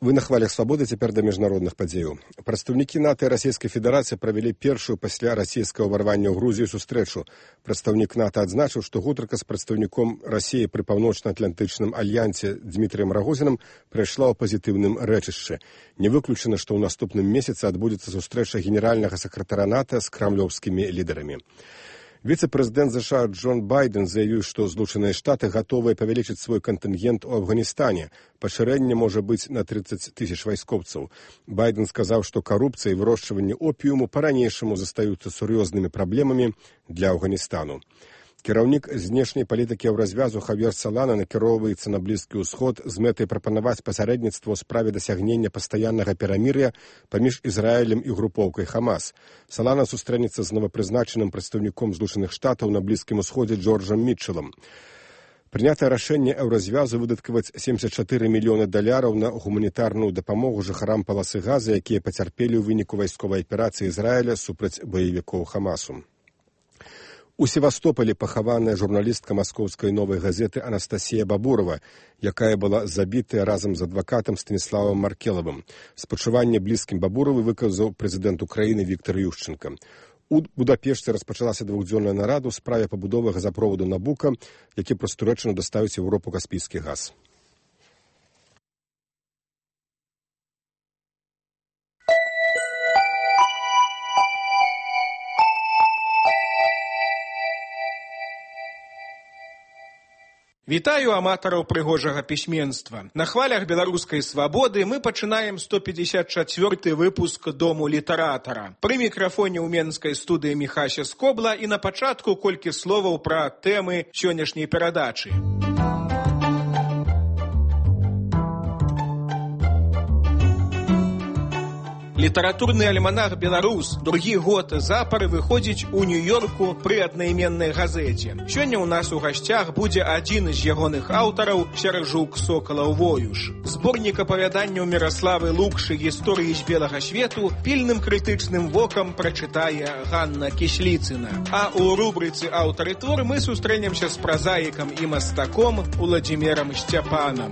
Вы на хвалях свабоды, цяпер да міжнародных падзеяў. Прадстаўнікі НАТО і Расійскай Федэрацыі правялі першую пасля расійскага ўварвання ў Грузію сустрэчу. Прадстаўнік НАТО адзначыў, што гутарка з прадстаўніком Расіі пры паўночна-атлантычным альянсе Дмітрыем Рагозінам прайшла ў пазітыўным рэчышчы. Не выключана, што ў наступным месяцы адбудзецца сустрэча генеральнага сакратара НАТО з крамлёўскімі лідарамі. Віцэ-прэзідэнт США Джон Байден заявіў, што Злучаныя Штаты гатовыя павялічыць свой кантынгент у Афганістане. Пашырэнне можа быць на 30 000 вайскоўцаў. Байден сказаў, што карупцыя і вырошчванне опіуму па-ранейшаму застаюцца сур'ёзнымі праблемамі для Афганістану. Кіраўнік знешняй палітыкі Еўразвязу Хавьер Салана накіроўваецца на Блізкі ўсход з мэтай прапанаваць пасярэдніцтва ў справе дасягнення пастаяннага перамір'я паміж Ізраілем і групоўкай Хамас. Салана сустрэнецца з новапрызначаным прадстаўніком Злучаных Штатаў на Блізкім усходзе Джорджам Мітчелам. Прынятае рашэнне Еўразвязу выдаткаваць $74 мільёны на гуманітарную дапамогу жыхарам паласы Газы, якія пацярпелі ў выніку вайсковай аперацыі Ізраіля супраць баевікоў Хамасу. У Севастополі пахаваная журналістка маскоўскай новай газеты Анастасія Бабурова, якая была забітая разам з адвакатам Станіславам Маркелавым. Спачуванне блізкім Бабуровай выказаў прэзідэнт Украіны Віктор Ющенко. У Будапешце распачалася двухдзённая нарада ў справе пабудовы газапроводу Набука, які прастурэчана даставіць у Еўропу каспійскі газ. Вітаю аматараў прыгожага пісьменства. На хвалях беларускай свабоды мы пачынаем 154 выпуск Дому літаратара. Пры мікрафоне ў менскай студыі Міхася Скобла і на пачатку колькі словаў пра тэмы сённяшняй перадачы. Літаратурны альманах «Беларус» другі год запар выходзіць у Нью-Йорку пры аднайменнай газеце. Сёння ў нас у гасцях будзе адзін з ягоных аўтараў Сяражук Сокалаў-Воюш. Зборнік апавяданняў Міраславы Лукшы «Гісторыі з белага свету» пільным крытычным вокам прачытае Ганна Кісліцына. А ў рубрыцы «Аўтары твор» мы сустрэнемся з празаікам і мастаком Уладзімірам Сцяпанам.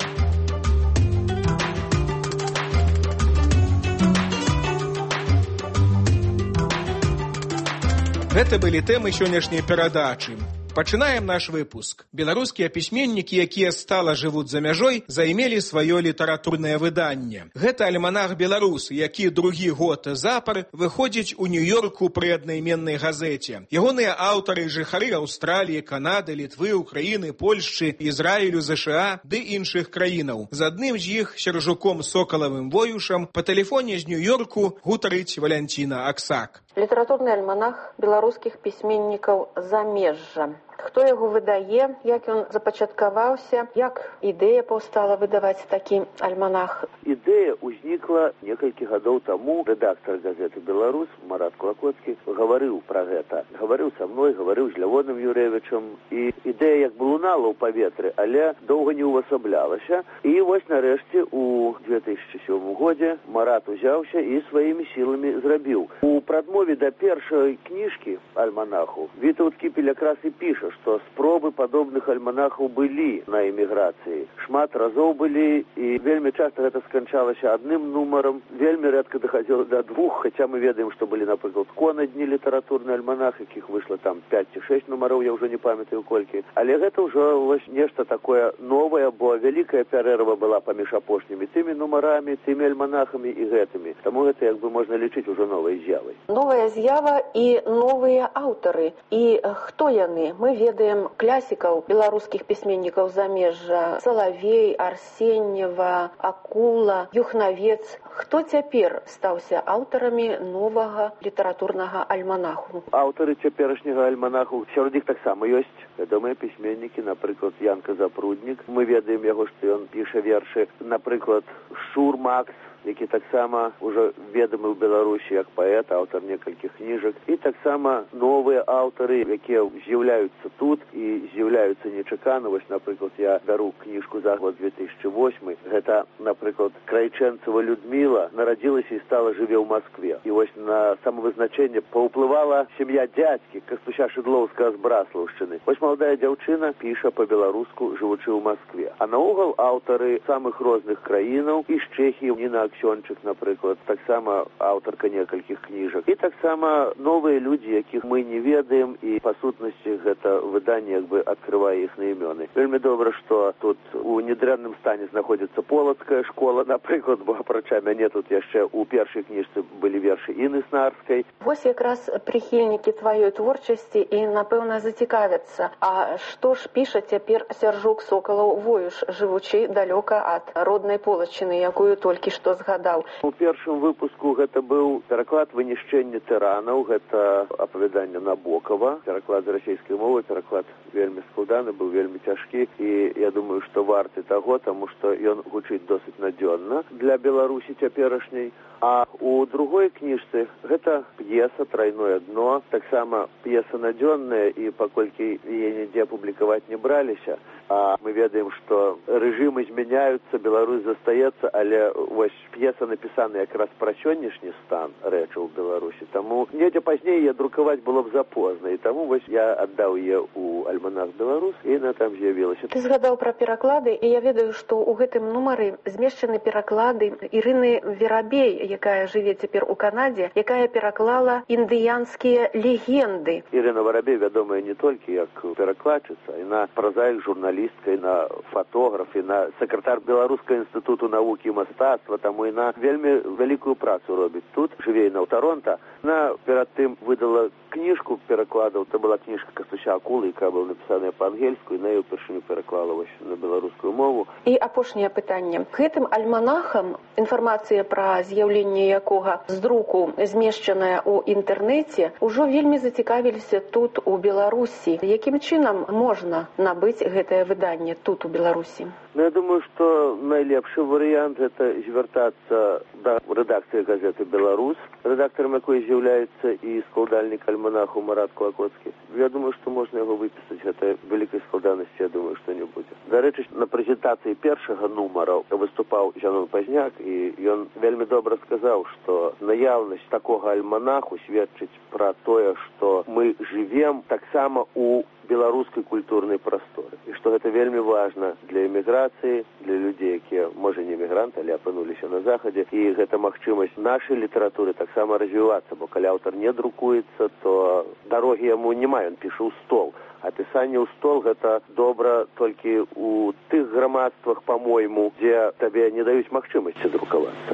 Гэта былі тэмы сённяшняй перадачы. Пачынаем наш выпуск. Беларускія пісьменнікі, якія стала жывуць за мяжой, займелі сваё літаратурнае выданне. Гэта альманах «Беларус», які другі год запар выходзіць у Нью-Йорку пры аднайменнай газеце. Ягоныя аўтары жыхары Аўстраліі, Канады, Літвы, Украіны, Польшчы, Ізраілю, ЗША ды іншых краінаў. З адным з іх, Сяражуком Сокалавым-Воюшам, па тэлефоне з Нью-Йорку гутарыць Валянціна Аксак. Літаратурны альманах беларускіх пісьменнікаў замежжа. Хто яго выдае, як ён запачаткаваўся, як ідэя паўстала выдаваць такі альманах? Ідэя ўзнікла некалькі гадоў таму. Рэдактар газеты «Беларус» Марат Клакоцкі гаварыў пра гэта. Гаварыў са мной, гаварыў з Лявоном Юрэвічам. І ідэя як бы лунала ў паветры, але доўга не ўвасаблялася. І вось нарэшце у 2007 годзе Марат узяўся і сваімі сіламі зрабіў. У прадмове да першай кніжкі альманаху Вітаўт Кіпель якраз і піша, што спробы падобных альманахаў былі на эміграцыі. Шмат разоў былі, і вельмі часта гэта сканчалася адным нумарам, вельмі рэдка дахадзіла да двух, хаця мы ведаем, што былі, напрыклад, конадні літаратурны альманах, якіх выйшла там 5 ці 6 нумароў, я ўжо не памятаю колькі. Але гэта ўжо вось нешта такое новае, бо вялікая пярэрва была паміж апошнімі тымі нумарамі, тымі альманахамі і гэтымі. Таму гэта як бы можна лічыць ужо новай з'явай. Новая з'ява і новыя аўтары. І хто яны? Мы ведаем класікаў беларускіх пісьменнікаў замежжа: Салавей, Арсеньева, Акула, Юхнавец. Хто цяпер стаўся аўтарамі новага літаратурнага альманаху? Аўтары цяперашняга альманаху, сярод іх таксама ёсць вядомыя пісьменнікі, напрыклад, Янка Запруднік. Мы ведаем яго, што ён піша вершы. Напрыклад, Шур Макс, які таксама ўжо ведомы ў Беларусі як паэт, аўтар некалькіх кніжак. І таксама новыя аўтары, якія з'яўляюцца тут і з'яўляюцца нечакана. Вось, напрыклад, я бяру кніжку за год 2008. Гэта, напрыклад, Крайчэнцева Людміла нарадзілася і стала жыве ў Маскве. І вось на самавызначэнне паўплывала сям'я дзядзькі Кастуся Шыдлоўскага з Браслаўшчыны. Вось маладая дзяўчына піша па-беларуску, жывучы ў Маскве. А наогул аўтары самых розных краінаў, і з Чэхіі, Ніна Аксёнчык, напрыклад, таксама аўтарка некалькіх кніжак. І таксама новыя людзі, якіх мы не ведаем, і па сутнасці гэта выданне як бы адкрывае іхныя імёны. Вельмі добра, што тут у недрэнным стане знаходзіцца полацкая школа, напрыклад, бо апрача мяне тут яшчэ ў першай кніжцы былі вершы Інны Снарскай. Вось якраз прыхільнікі тваёй творчасці і, напэўна, зацікавяцца. А што ж піша цяпер Сяражук Сокалаў-Воюш, жывучы далёка ад роднай Полачыны, якую толькі што згадаў? У першым выпуску гэта быў пераклад «Вынішчэнне тыранаў», гэта апавяданне Набокава, пераклад з расійскай мовы, пераклад вельмі складаны, быў вельмі цяжкі, і я думаю, што варты таго, таму што ён гучыць досыць надзённа для Беларусі цяперашняй. А у другой кніжцы гэта п'еса «Тройное дно», таксама п'еса надзённая, і паколькі яе нідзе публікаваць не браліся, а мы ведаем, што рэжымы змяняюцца, Беларусь застаецца, але вось п'еса напісана якраз пра сённяшні стан рэчаў у Беларусі. Таму недзе пазней я друкаваць было б запозна, і таму вось я аддаў яе ў альманах «Беларус», і яна там з'явілася. Ты згадаў пра пераклады, і я ведаю, што ў гэтым нумары змешчаны пераклады Ірыны Верабей, якая жыве цяпер у Канадзе, якая пераклала індыянскія легенды. Ірына Верабей вядомая не толькі як перакладчыца, яна празаік, журналістка, яна фотограф, яна сакратар Беларускага інстытуту навукі і мастацтва, таму яна вельмі вялікую працу робіць тут, жыве яна ў Таронта. Яна перад тым выдала кніжку перакладаў, это была кніжка Кастуся Акулы, якая была напісаная па-ангельску, і на яе ўпершыню пераклала вось на беларускую мову. І апошняе пытанне. Гэтым альманахам, інфармацыя пра з'яўленне якога з друку змешчаная ў інтэрнэце, ужо вельмі зацікавіліся тут у Беларусі. Якім чынам можна набыць гэтае выданне тут у Беларусі? Ну, я думаю, што найлепшы варыянт гэта звяртацца да рэдакцыі газеты «Беларусь», рэдактарам якой з'яўляецца і складальнік альманаху Марат Клакоцкі. Я думаю, што можна яго выпісаць. Гэта вялікай складанасці, я думаю, што не будзе. Дарэчы, на прэзентацыі першага нумара выступаў Зянон Пазняк, і ён вельмі добра сказаў, што наяўнасць такога альманаху сведчыць пра тое, што мы жывем таксама у беларускай культурнай прасторы. І што гэта вельмі важна для эміграцыі, для людзей, якія, можа, не эмігранты, але апынуліся на захадзе. І гэта магчымасць нашай літаратуры таксама развівацца, бо калі аўтар не друкуецца, то дарогі яму няма, ён піша ў стол. А пісанне ў стол гэта добра толькі ў тых грамадствах, па-мойму, дзе табе не даюць магчымасці друкавацца.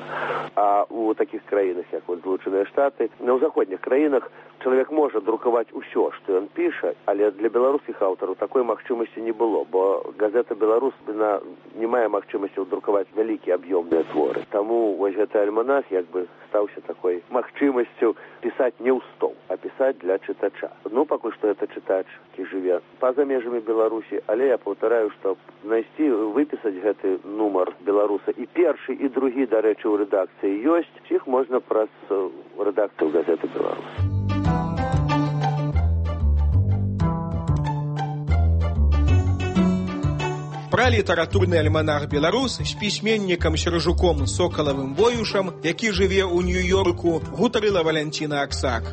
А ў такіх краінах, як Злучаныя Штаты, ў заходніх краінах чалавек можа друкаваць усё, што ён піша, але для беларускіх аўтараў такой магчымасці не было, бо газета «Беларусь» не мае магчымасці друкаваць вялікія аб'ёмныя творы. Таму вось гэты альманах як бы стаўся такой магчымасцю пісаць не ў стол, а пісаць для чытача. Ну, пакуль што гэта чытач, які жыве па-за межамі Беларусі, але я паўтараю, што знайсці, выпісаць гэты нумар «Беларуса» і першы, і другі, дарэчы, ў рэдакцыі ёсць, іх можна праз рэдакцыю газеты «Беларусь». Пра літаратурны альманах «Беларусь» з пісьменнікам Сержуком Сокалавым Воюшам, які жыве ў Нью-Йорку, гутарыла Валянціна Аксак.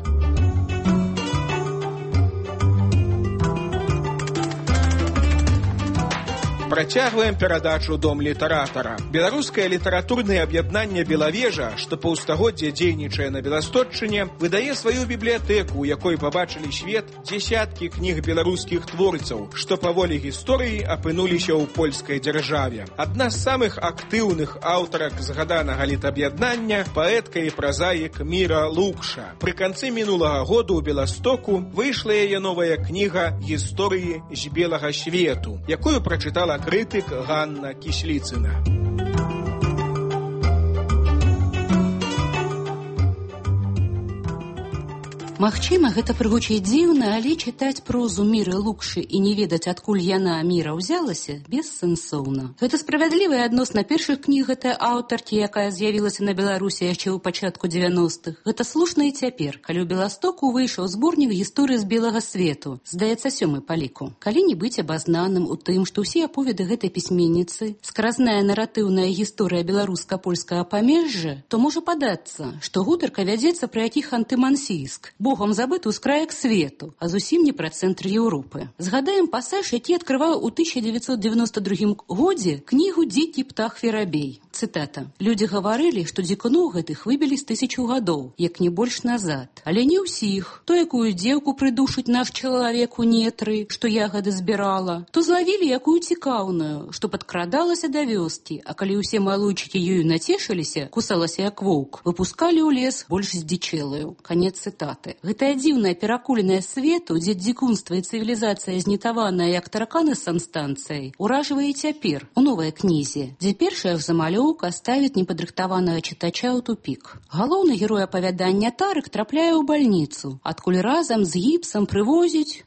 Працягваем перадачу «Дом літаратара». Беларускае літаратурнае аб'яднанне «Белавежа», што паўстагоддзя дзейнічае на Беластотчыне, выдае сваю бібліятэку, у якой пабачылі свет дзесяткі кніг беларускіх творцаў, што па волі гісторыі апынуліся ў польскай дзяржаве. Адна з самых актыўных аўтарак згаданага літаб'яднання – паэтка і празаік Міра Лукша. Пры канцы мінулага году ў Беластоку выйшла яе новая кніга «Гісторыі з белага свету», якую прачытала крытык Ганна Кісліцына. Магчыма, гэта прыгучыць дзіўна, але чытаць прозу Міры Лукшы і не ведаць, адкуль яна, Міра, узялася, бессэнсоўна. Гэта справядлівая адносна першых кніг гэтай аўтаркі, якая з'явілася на Беларусі яшчэ ў пачатку 90-х. Гэта слушна і цяпер, калі ў Беластоку выйшаў зборнік гісторыі з белага свету, здаецца, 7-й па ліку. Калі не быць абазнаным у тым, што ўсе аповеды гэтай пісьменніцы, скразная наратыўная гісторыя беларуска-польскага памежжа, то можа падацца, што гутарка вядзецца пра якіх антымансійск, Богом забыты з краек свету, а зусім не пра цэнтр Еўропы. Згадаем пасаж, які адкрываў у 1992 годзе кнігу «Дзікі птах Ферабей». Цытата. «Людзі гаварылі, што дзікуноў гэтых выбілі з 1000 гадоў, як не больш назад. Але не ўсіх. То якую дзеўку прыдушыць наш чалавек у нетры, што ягады збірала, то злавілі якую цікаўную, што падкрадалася да вёскі, а калі ўсе малойчыкі ёю нацешыліся, кусалася як воўк, выпускалі ў лес больш здзічэлую». Канец цытаты. Гэтая дзіўная перакуленая свету, дзе дзікунства і цывілізацыя знітаваная як тараканы з санстанцыяй, уражвае цяпер у новай кнізе, дзе першая замалёўка ставіць непадрыхтаванага чытача ў тупік. Галоўны герой апавядання Тарык трапляе ў бальніцу, адкуль разам з гіпсам прывозіць,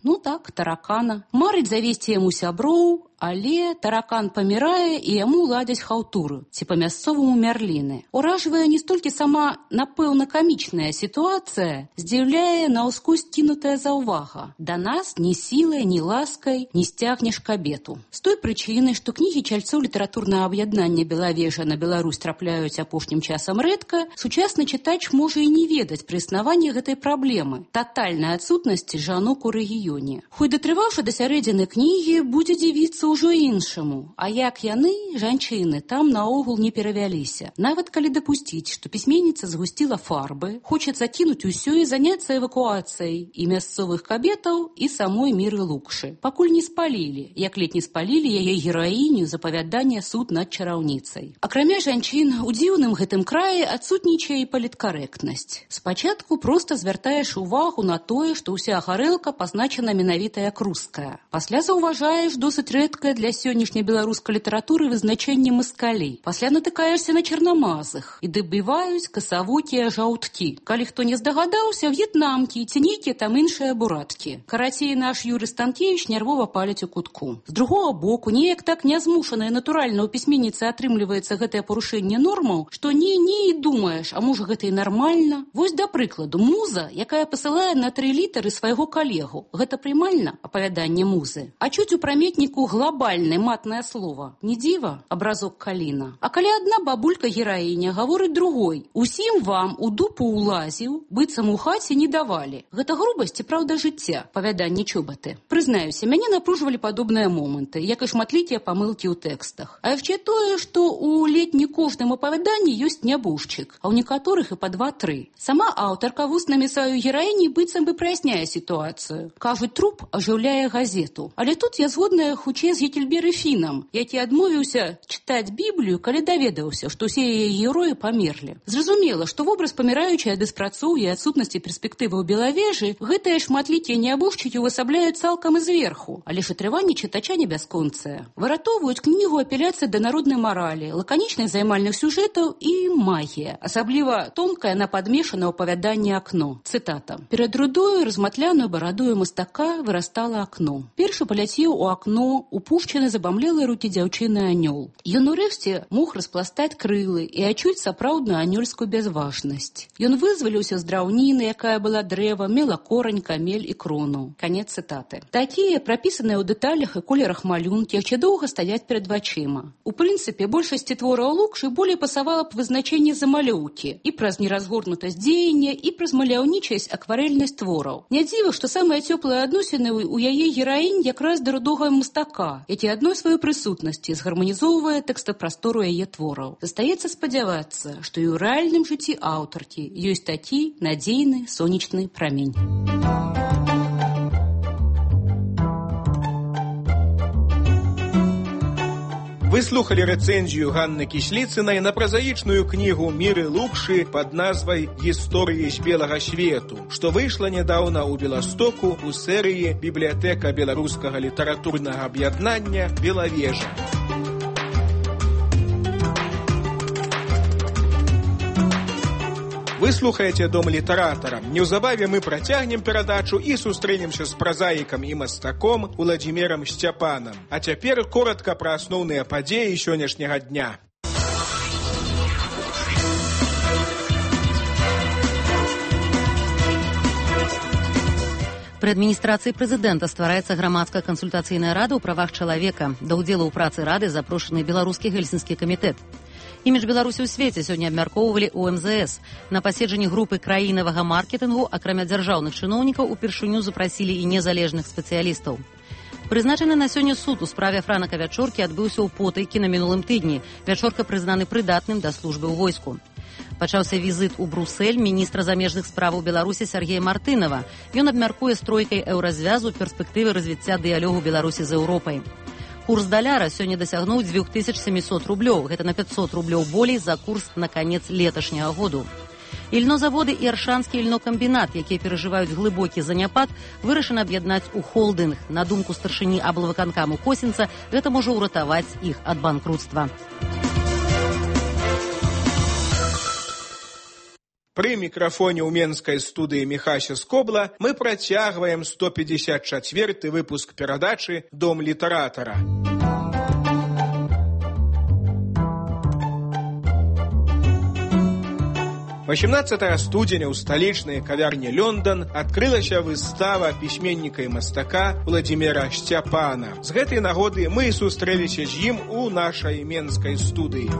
таракана. Марыць завесці яму сяброў, але таракан памірае і яму ладзяць хаўтуру, ці па-мясцоваму мярліны. Уражвае не столькі сама, напэўна, камічная сітуацыя, здзіўляе наўскось кінутая заўвага. Да нас ні сілай, ні ласкай не сцягнеш кабету. З той прычыны, што кнігі чальцоў літаратурнага аб'яднання «Белавежа» на Беларусь трапляюць апошнім часам рэдка, сучасны чытач можа і не ведаць пры існаванні гэтай праблемы – татальнай адсутнасці жанок у рэгіёне. Хоць датрываўшы да сярэдзіны кнігі, будзе дзівіцца ўжо іншаму. А як яны, жанчыны, там наогул не перавяліся. Нават калі дапусціць, што пісьменніца згусціла фарбы, хочацца кінуць усё і заняцца эвакуацыяй і мясцовых кабетаў, і самой Міры Лукшы. Пакуль не спалілі, як ледь не спалілі яе гераіню з апавядання «Суд над чараўніцай». Акрамя жанчын, у дзіўным гэтым краі адсутнічае і паліткарэктнасць. Спачатку проста звяртаеш увагу на тое, што ўся гарэлка пазначана менавіта як руская. Пасля заўважаеш досыць рэдкую кароткае для сённяшняй беларускай літаратуры вызначэнне маскалей. Пасля натыкаешся на чарнамазых і дабіваюць касавокія жаўткі. Калі хто не здагадаўся, в'етнамкі ці нейкія там іншыя бураткі. Карацей, наш Юрый Станкевич нервова паляць у кутку. З другого боку, неяк так нязмушана і натуральна ў пісьменніцы атрымліваецца гэтае парушэнне нормаў, што не і думаеш, а можа гэта і нармальна. Вось да прыкладу, муза, якая пасылае на 3 літары свайго калегу. Гэта прымальна, апавяданне музы. А чуць у праметніку глобальнае матнае слова. Не дзіва, абразок Каліна. А калі адна бабулька-гераіня гаворыць другой: усім вам у дупу улазіў, быццам у хаце не давалі. Гэта грубасць і праўда жыцця, апавяданне Чоботы. Прызнаюся, мяне напружвалі падобныя моманты, як і шматлікія памылкі ў тэкстах. А яшчэ тое, што ў ледні кожным апавяданні ёсць нябожчык, а ў некаторых і па 2-3. Сама аўтарка вуснамі сваёй гераіні быццам бы праясняе сітуацыю. Кажуць, труп ажыўляе газету. Але тут я згодная хутчэй з Гекельбері Фінам, які адмовіўся чытаць Біблію, калі даведаўся, што ўсе яе героі памерлі. Зразумела, што вобраз паміраючай ад беспрацоўя і адсутнасці перспектывы ў Белавежы гэтыя шматлікія нябожчыкі ўвасабляюць цалкам і зверху, але ж атрыванне чытача не бясконцае. Выратоўваюць кнігу апеляцыя да народнай маралі, лаканічных займальных сюжэтаў і магія, асабліва тонкае нападмешанае апавяданне «Акно». Цытата. «Перад рудою, разматляную барадою мастака вырастала акно. Першы паляцеў у акно, упушчаны забамлелыя рукі дзяўчыны анёл. Ён урэшце мог распластаць крылы і адчуць сапраўдную анёльскую бязважнасць. Ён вызваліўся з драўніны, якая была дрэва, мела корань, камель і крону». Канец цытаты. Такія, прапісаныя ў дэталях і колерах малюнкі, яшчэ доўга стаяць перад вачыма. У прынцыпе, большасці твораў Лукшы болей пасавала б вызначэнне замалёўкі і праз неразгорнутасць дзеяння, і праз маляўнічасць, акварэльнасць твораў. Не дзіва, што самыя цёплыя адносіны ў яе гераінь якраз да рудога мастака, які адной сваёй прысутнасці згарманізоўвае тэкстапрастору яе твораў. Застаецца спадзявацца, што і ў рэальным жыцці аўтаркі ёсць такі надзейны сонечны прамень. Вы слухали рэцэнзію Ганны Кісліцынай на празаічную кнігу Міры Лукшы пад назвай «Гісторыі з белага свету», што выйшла нядаўна ў Беластоку ў серыі «Бібліятэка беларускага літаратурнага аб'яднання «Белавежа». Вы слухаеце «Дом літаратара». Неўзабаве мы працягнем перадачу і сустрэнемся з празаікам і мастаком Уладзімірам Сцяпанам. А цяпер коротка пра асноўныя падзеі сённяшняга дня. Пры адміністрацыі прэзідэнта ствараецца грамадская кансультацыйная рада ў правах чалавека. Да ўдзелу ў працы рады запрошаны беларускі гельсінскі камітэт. Імідж Беларусі ў свеце сёння абмяркоўвалі ў МЗС. На паседжанні групы краінавага маркетынгу, акрамя дзяржаўных чыноўнікаў, упершыню запрасілі і незалежных спецыялістаў. Прызначаны на сёння суд у справе Франака Вячоркі адбыўся ў Потайкі на мінулым тыдні. Вячорка прызнаны прыдатным да службы ў войску. Пачаўся візіт у Брусэль міністра замежных справаў Беларусі Сергея Мартынова. Ён абмяркуе з тройкай еўразвязу перспектывы развіцця дыялогу Беларусі з Еўропай. Курс даляра сёння дасягнуў 2700 рублёў. Гэта на 500 рублёў болей за курс на канец леташняга году. Ільнозаводы і Аршанскі ільнокамбінат, якія перажываюць глыбокі заняпад, вырашана аб'яднаць у холдынг. На думку старшыні аблвыканкаму Косінца, гэта можа ўратаваць іх ад банкрутства. Пры мікрафоне ў менскай студыі Міхася Скобла мы працягваем 154-й выпуск перадачы «Дом літаратара». 18 студзеня ў сталічнай кавярні «Лёндон» адкрылася выстава пісьменніка і мастака Уладзіміра Сцяпана. З гэтай нагоды мы сустрэліся з ім у нашай менскай студыі.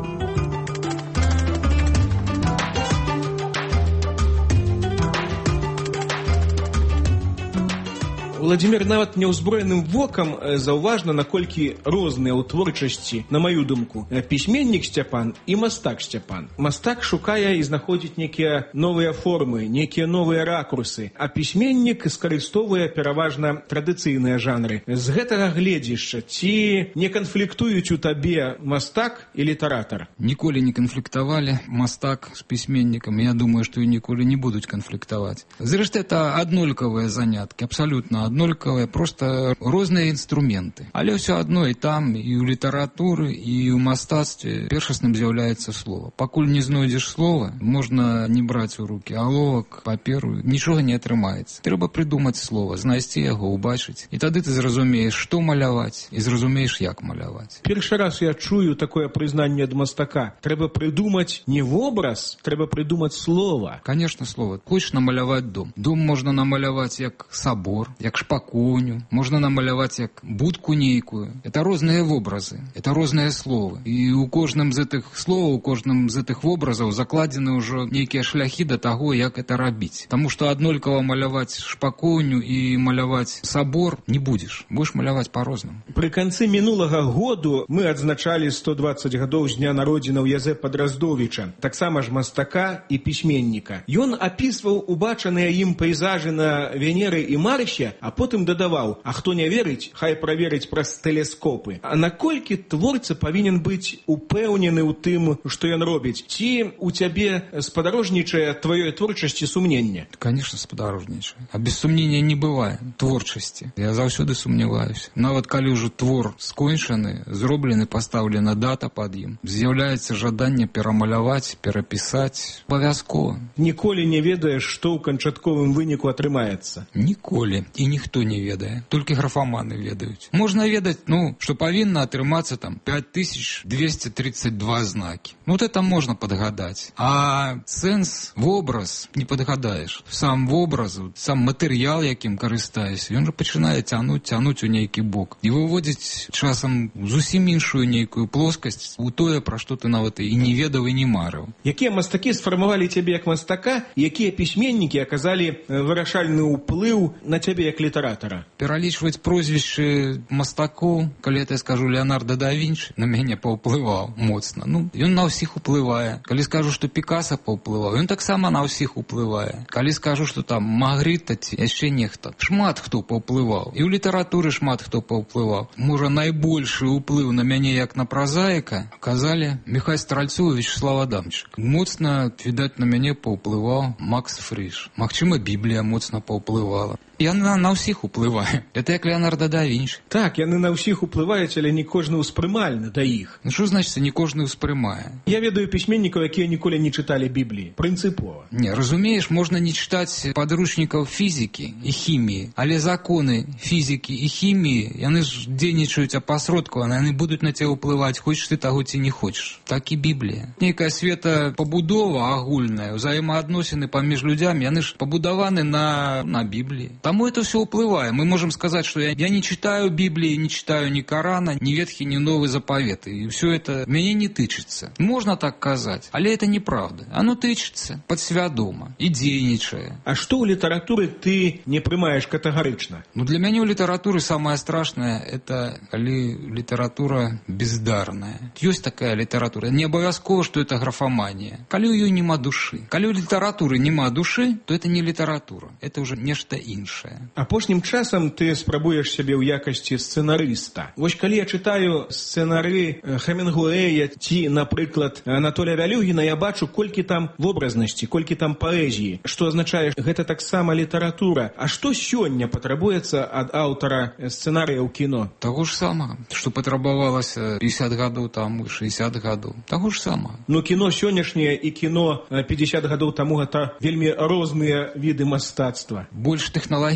Уладзімір нават няўзброеным вокам заўважна, наколькі розныя ў творчасці, на маю думку, пісьменнік Сцяпан і мастак Сцяпан. Мастак шукае і знаходзіць нейкія новыя формы, нейкія новыя ракурсы, а пісьменнік скарыстоўвае пераважна традыцыйныя жанры. З гэтага гледзішча, ці не канфліктуюць у табе мастак і літаратар? Ніколі не канфліктавалі мастак з пісьменнікам. Я думаю, што і ніколі не будуць канфліктаваць. Зрэшты, это аднолькавыя заняткі, абсалютна аднолькавыя. аднолькавыя, проста розныя інструменты. Але ўсё адно і там, і ў літаратуры, і ў мастацтве першасным з'яўляецца слова. Пакуль не знойдзеш слова, можна не браць у рукі аловак, паперу, нічога не атрымаецца. Трэба прыдумаць слова, знайсці яго, убачыць. І тады ты зразумееш, што маляваць, і зразумееш, як маляваць. Першы раз я чую такое прызнанне ад мастака. Трэба прыдумаць не вобраз, трэба прыдумаць слова. Конечно, слова. Хочешь намаляваць дом. Дом можна намаляваць як сабор, як шпакоўню, можна намаляваць як будку нейкую. Это розныя вобразы, это розныя словы. І у кожным з гэтых словаў, у кожным з гэтых вобразаў закладзены ўжо нейкія шляхі да таго, як это рабіць. Таму што аднолькава маляваць шпакоўню і маляваць сабор не будзеш. Будзеш маляваць па-рознаму. Пры канцы мінулага году мы адзначалі 120 гадоў з дня народзінаў Язэпа Драздовіча, таксама ж мастака і пісьменніка. Ён апісваў убачаныя ім пейзажы на Венеры і Марсе, а потым дадаваў: а хто не верыць, хай праверыць праз тэлескопы. А наколькі творца павінен быць упэўнены ў тым, што ён робіць? Ці у цябе спадарожнічае тваёй творчасці сумненне? Конечно, спадарожнічае. А без сумнення не бывае творчасці. Я заўсёды сумняваюся. Нават калі ўжо твор скончаны, зроблены, пастаўлена дата пад ім, з'яўляецца жаданне перамаляваць, перапісаць. Абавязкова. Ніколі не ведаеш, што ў канчатковым выніку атрымаецца? Ніколі. І ніхто не ведае. Толькі графаманы ведаюць. Можна ведаць, што павінна атрымацца там 5232 знакі. Вот это можна падгадаць. А сэнс, вобраз не падгадаеш. Сам вобраз, сам матэрыял, якім карыстаюся, ён жа пачынае цянуць у нейкі бок. І выводзіць часам зусім іншую нейкую плоскасць у тое, пра што ты нават і не ведаў, і не марыў. Якія мастакі сфармавалі цябе як мастака, якія пісьменнікі аказалі вырашальны ўплыў на цябе як літаратара? Пералічваць прозвішчы мастакоў, калі я скажу Леонардо да Вінчы, на мяне паўплываў моцна. Ён на ўсіх уплывае. Калі скажу, што Пікаса паўплываў, ён таксама на ўсіх уплывае. Калі скажу, што там Магрыта ці яшчэ нехта, шмат хто паўплываў. І ў літаратуры шмат хто паўплываў. Можа, найбольшы ўплыў на мяне як на празаіка аказалі Міхай Стральцоў і Вячеслав Адамчык. Моцна, відаць, на мяне паўплываў Макс Фрыш. Магчыма, Біблія моцна паўплывала. Яна на ўсіх уплывае. Это як Леонардо да Вінчы. Так, яны на ўсіх уплываюць, але не кожны ўспрымальны да іх. Што значыцца не кожны ўспрымае? Я ведаю пісьменнікаў, якія ніколі не чыталі Бібліі. Прынцыпова. Не, разумееш, можна не чытаць падручнікаў фізікі і хіміі, але законы фізікі і хіміі, яны ж дзейнічаюць апасродкавана, яны будуць на цябе ўплываць, хочаш ты таго ці не хочаш. Так і Біблія. Нейкая светапабудова агульная, узаемаадносіны паміж людзямі, яны ж пабудаваны на Бібліі. Тому это все уплывает. Мы можем сказать, что я не читаю Библии, не читаю ни Корана, ни Ветхий, ни Новый Заповет. И все это меня не тычется. Можно так сказать, але это неправда. Оно тычется подсвядома и дзейнічае. А что у литературы ты не прымаешь категорично? Для меня у литературы самое страшное, это коли литература бездарная. Есть такая литература. Не обовязково, что это графомания. Коли у ее нема души. Коли у литературы нема души, то это не литература. Это уже нешта іншае. Апошнім часам ты спрабуеш сябе ў якасці сцэнарыста. Вось калі я чытаю сцэнары Хемінгуэя ці, напрыклад, Анатолія Вялюгіна, я бачу, колькі там вобразнасці, колькі там паэзіі, што азначае, гэта таксама літаратура. А што сёння патрабуецца ад аўтара сцэнарыя ў кіно? Таго ж самага, што патрабавалася 50 гадоў таму, 60 гадоў. Таго ж самага. Кіно сённяшняе і кіно 50 гадоў таму гэта вельмі розныя віды мастацтва. Больш тэхналагічнае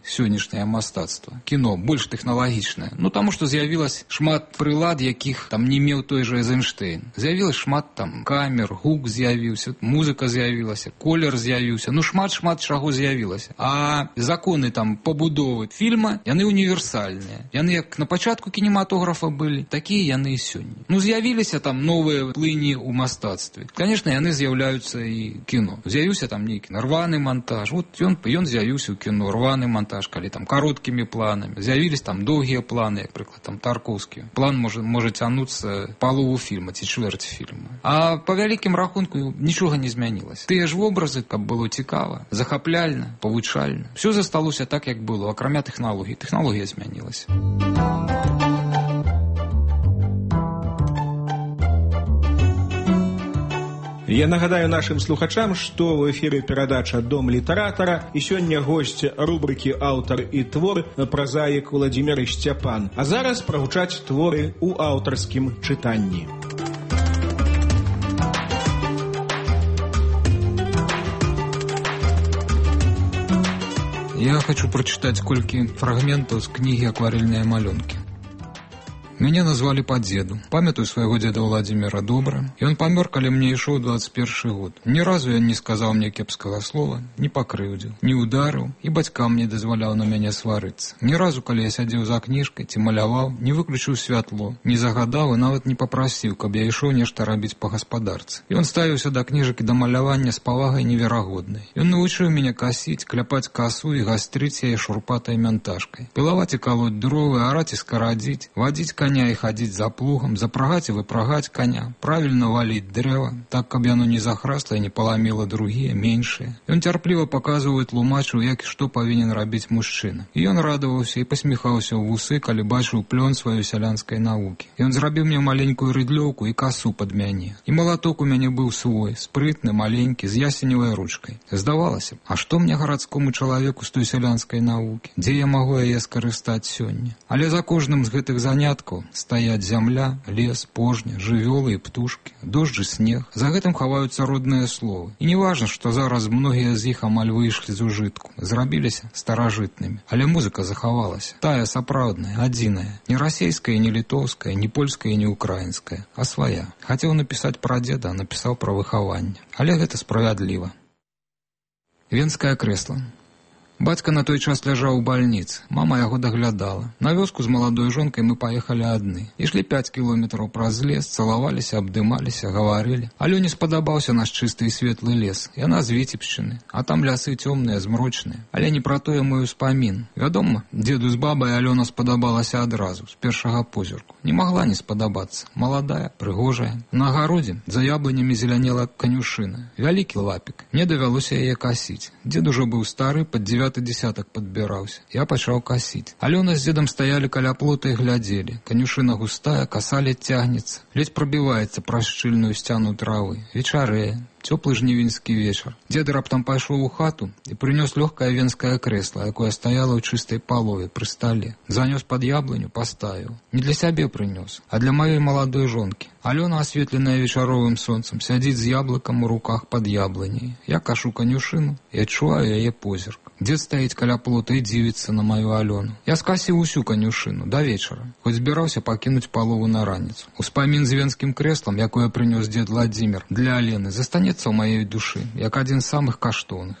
сённяшняе мастацтва. Кіно больш тэхналагічнае. Таму што з'явілася шмат прылад, якіх там не меў той жа Эйзенштейн. З'явілася шмат там камер, гук з'явіўся, музыка з'явілася, колер з'явіўся. Шмат чаго з'явілася. А законы там пабудовы фільма, яны універсальныя. Яны як на пачатку кінематографа былі, такія яны і сёння. З'явіліся там новыя плыні ў мастацтве. Конечно, яны з'яўляюцца і кіно. З'явіўся там нейкі рваны монтаж. Ён з'явіўся у кіно, рваны монтаж, калі там кароткімі планамі. З'явілись там доўгія планы, як прыклад, там Тарковскі. План можа цянуцца палову фільма ці чвэрць фільма. А па вялікім рахунку нічога не змянілася. Тыя ж вобразы, каб было цікава, захапляльна, павучальна. Все засталося так, як было, акрамя тэхналогій. Тэхналогія змянілася. Я нагадаю нашим слухачам, што ў эфіры перадача «Дом літаратара» і сёння госць рубрыкі «Аўтар і твор» празаік Владзімір Сцяпан. А зараз прагучаць творы ў аўтарскім чытанні. Я хочу прочитать колькі фрагментаў з кнігі «Акварельныя малюнкі». Мяне назвалі па дзеду. Памятаю свайго дзеда Владзіміра добра. Ён памёр, калі мне ішоў 21 год. Ні разу ён не сказаў мне кепскага слова, не пакрыўдзіў, не ударыў, і бацькам не дазваляў на мяне сварыцца. Ні разу, калі я сядзеў за кніжкай ці маляваў, не выключыў святло, не загадаў і нават не папрасіў, каб я ішоў нешта рабіць па гаспадарцы. Ён ставіўся да кніжак і да малявання з павагай неверагоднай. Ён навучыў мяне касіць, кляпаць касу і гастрыць яе шурпатай мянтажкай. Пілаваць і калоць дровы, араць і скарадзіць, вадзіць коня і хадзіць за плугам, запрагаць і выпрагаць коня, правільна валіць дрэва, так, каб яно не захрасла і не паламіла другія, меншыя. Ён цярпліва паказваў і тлумачыў, як і што павінен рабіць мужчына. І ён радаваўся і пасміхаўся ў вусы, калі бачыў плён сваёй сялянскай навукі. Ён зрабіў мне маленькую рыдлёўку і касу пад мяне. І малаток у мяне быў свой, спрытны, маленькі, з ясеневай ручкай. Здавалася, а што мне гарадскому чалавеку з той сялянскай навукі? Дзе я магу яе скарыстаць сёння? Але за кожным з гэтых заняткаў стаяць зямля, лес, пожня, жывёлы і птушкі, дождж і снег. За гэтым хаваюцца родныя словы. І не важна, што зараз многія з іх амаль выйшлі з ужытку, зрабіліся старажытнымі. Але музыка захавалася. Тая сапраўдная, адзіная. Не расейская, не літоўская, не польская, не украінская, а свая. Хацеў напісаць пра дзеда, а напісаў пра выхаванне. Але гэта справядліва. Венскае крэсла. Бацька на той час ляжаў у бальніцы. Мама яго даглядала. На вёску з маладой жонкай мы паехалі адны. Ішлі 5 кіложметраў праз лес, цалаваліся, абдымаліся, гаварылі. Алёне спадабаўся наш чысты і светлы лес. Яна з Віцебшчыны, а там лясы цёмныя, змрочныя. Але не пра тое мой успамін. Вядома, дзеду з бабай Алёна спадабалася адразу, з першага позірку. Не магла не спадабацца. Маладая, прыгожая. На агародзе за яблынямі зелянела канюшына. Вялікі лапік. Мне давялося яе касіць. Дзед ужо быў стары, пад 9 десятак падбіраўся. Я пачаў касіць. Алёна з дзедам стаялі каля плота і глядзелі. Канюшына густая, каса ледзь цягнецца. Ледзь прабіваецца праз шчыльную сцяну травы. Вечарэе. Цёплы жнівеньскі вечар. Дзед раптам пайшоў у хату і прынёс лёгкае венскае крэсла, якое стаяло ў чыстай палове пры стале. Занёс пад яблыню, паставіў. Не для сябе прынёс, а для маёй маладой жонкі. Алёна, асветленая вечаровым сонцам, сядзіць з яблыкам у руках пад яблыняй. Я кашу канюшыну і адчуваю яе позірк. Дзед стаіць каля плота і дзівіцца на маю Алёну. Я скасіў усю канюшыну да вечара, хоць збіраўся пакінуць палову на раніцу. Успамін з венскім крэслам, якое прынёс дзед Владзімір для Алены, застанецца ў маёй душы, як адзін з самых каштоўных.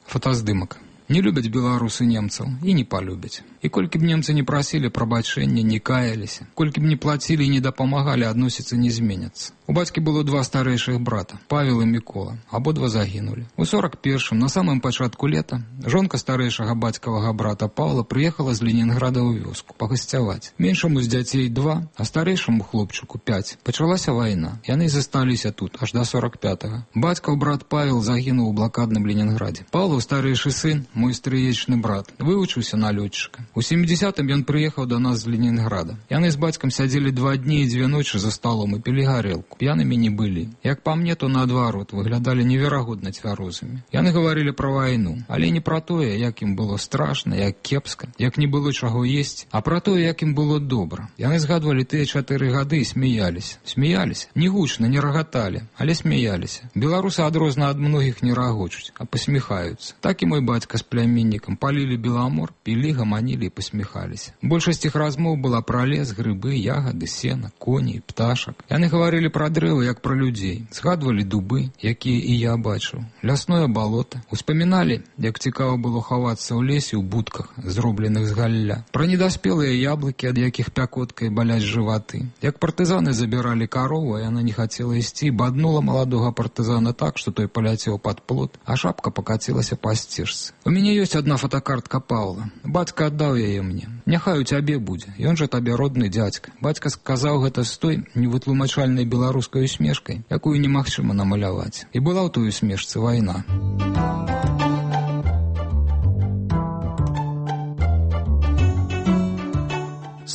Фотаздымак. Не любяць беларусы немцаў і не палюбяць. І колькі б немцы не прасілі прабачэння, не каяліся, колькі б не плацілі і не дапамагалі, адносіцца не зменяцца. У бацькі было 2 старэйшых брата, Павел і Мікола, абодва загінулі. У 41-м, на самым пачатку лета, жонка старэйшага бацькавага брата Павла прыехала з Ленінграда ў вёску пагасцяваць. Меншаму з дзяцей 2, а старэйшаму хлопчыку 5. Пачалася вайна. Яны засталіся тут аж да 45-го. Бацькаў брат Павел загінуў у блакадным Ленінградзе. Павлаў старэйшы сын, мой стрыечны брат, вывучыўся на лётчыка. У 70-м ён прыехаў да нас з Ленінграда. Яны з бацькам сядзелі 2 дні і 2 ночы за сталом і пілі гарэлку. П'янымі не былі. Як па мне, то наадварот, выглядалі неверагодна цвярозымі. Яны гаварылі пра вайну, але не пра тое, як ім было страшна, як кепска, як не было чаго есці, а пра тое, як ім было добра. Яны згадвалі тыя 4 гады і смяяліся. Смяяліся, не гучна, не рагаталі, але смяяліся. Беларусы адрозна ад многіх не рагочуць, а пасміхаюцца. Так і мой бацька з пляменнікам палілі беламор, пілі, гаманілі і пасміхаліся. Большасць іх размоў была пра лес, грыбы, ягады, сена, коней, пташак. Яны гаварылі пра дрэвы, як пра людзей. Згадвалі дубы, якія і я бачыў. Лясное балота. Успаміналі, як цікава было хавацца ў лесе ў будках, зробленых з галля. Пра недаспелыя яблыкі, ад якіх пякоткай баляць жываты. Як партызаны забіралі карову, а яна не хацела ісці, баднула маладога партызана так, што той паляцеў пад плот, а шапка пакацілася па сцежцы. У мяне ёсць адна фотокартка Павла. Бацька аддаў яе мне. Няхай у цябе будзе. Ён жа табе родны дзядзька. Бацька сказаў гэта з той невытлумачальнай беларускай усмешкай, якую немагчыма намаляваць. І была ў той усмешцы вайна.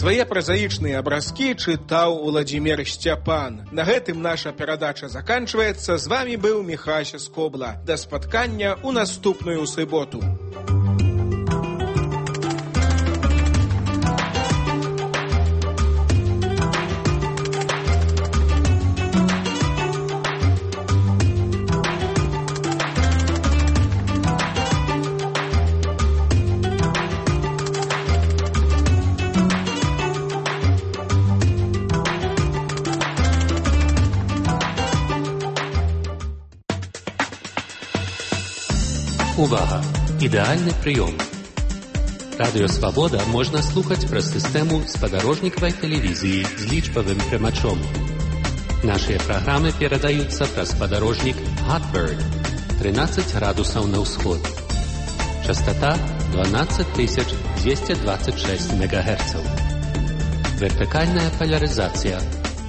Свае празаічныя абразкі чытаў Уладзімір Сцяпан. На гэтым наша перадача заканчваецца. З вамі быў Міхася Скобла. Да спаткання ў наступную суботу. Увага! Ідэальны прыём. Радыё Свабода можна слухаць праз сістэму спадарожнікавай тэлевізіі з лічбавым прымачом. Нашыя праграмы перадаюцца праз спадарожнік Hotbird 13 градусаў на ўсход. Частота 12226 МГц. Вертыкальная полярызацыя.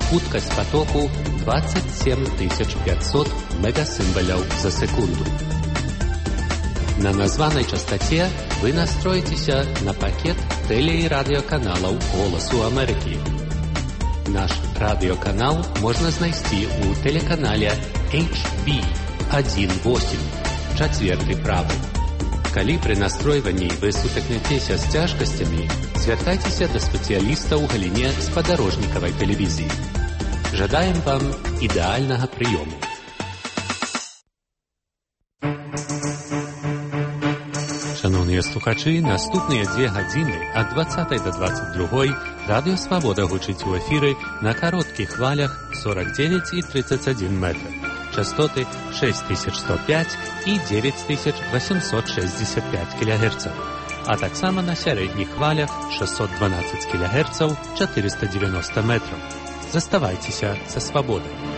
Хуткасць потоку 27500 мегасімбаляў за секунду. На названай частоце вы настроіцеся на пакет тэле- і радыёканалаў «Голасу Амерыкі». Наш радыёканал можна знайсці ў тэлеканале HB18, чацверты правы. Калі пры настройванні вы сутыкнецеся з цяжкасцямі, звяртайцеся да спецыяліста ў галіне спадарожнікавай тэлевізіі. Жадаем вам ідэальнага прыёму. Шановныя слухачы, наступныя 2 гадзіны ад 20 до 22 Радыё Свабода гучыць у эфіры на кароткіх хвалях 49 і 31 метр. Частоты 6105 і 9865 кГц. А таксама на сярэдніх хвалях 612 кГц 490 метров. Заставайцеся са Свабодай.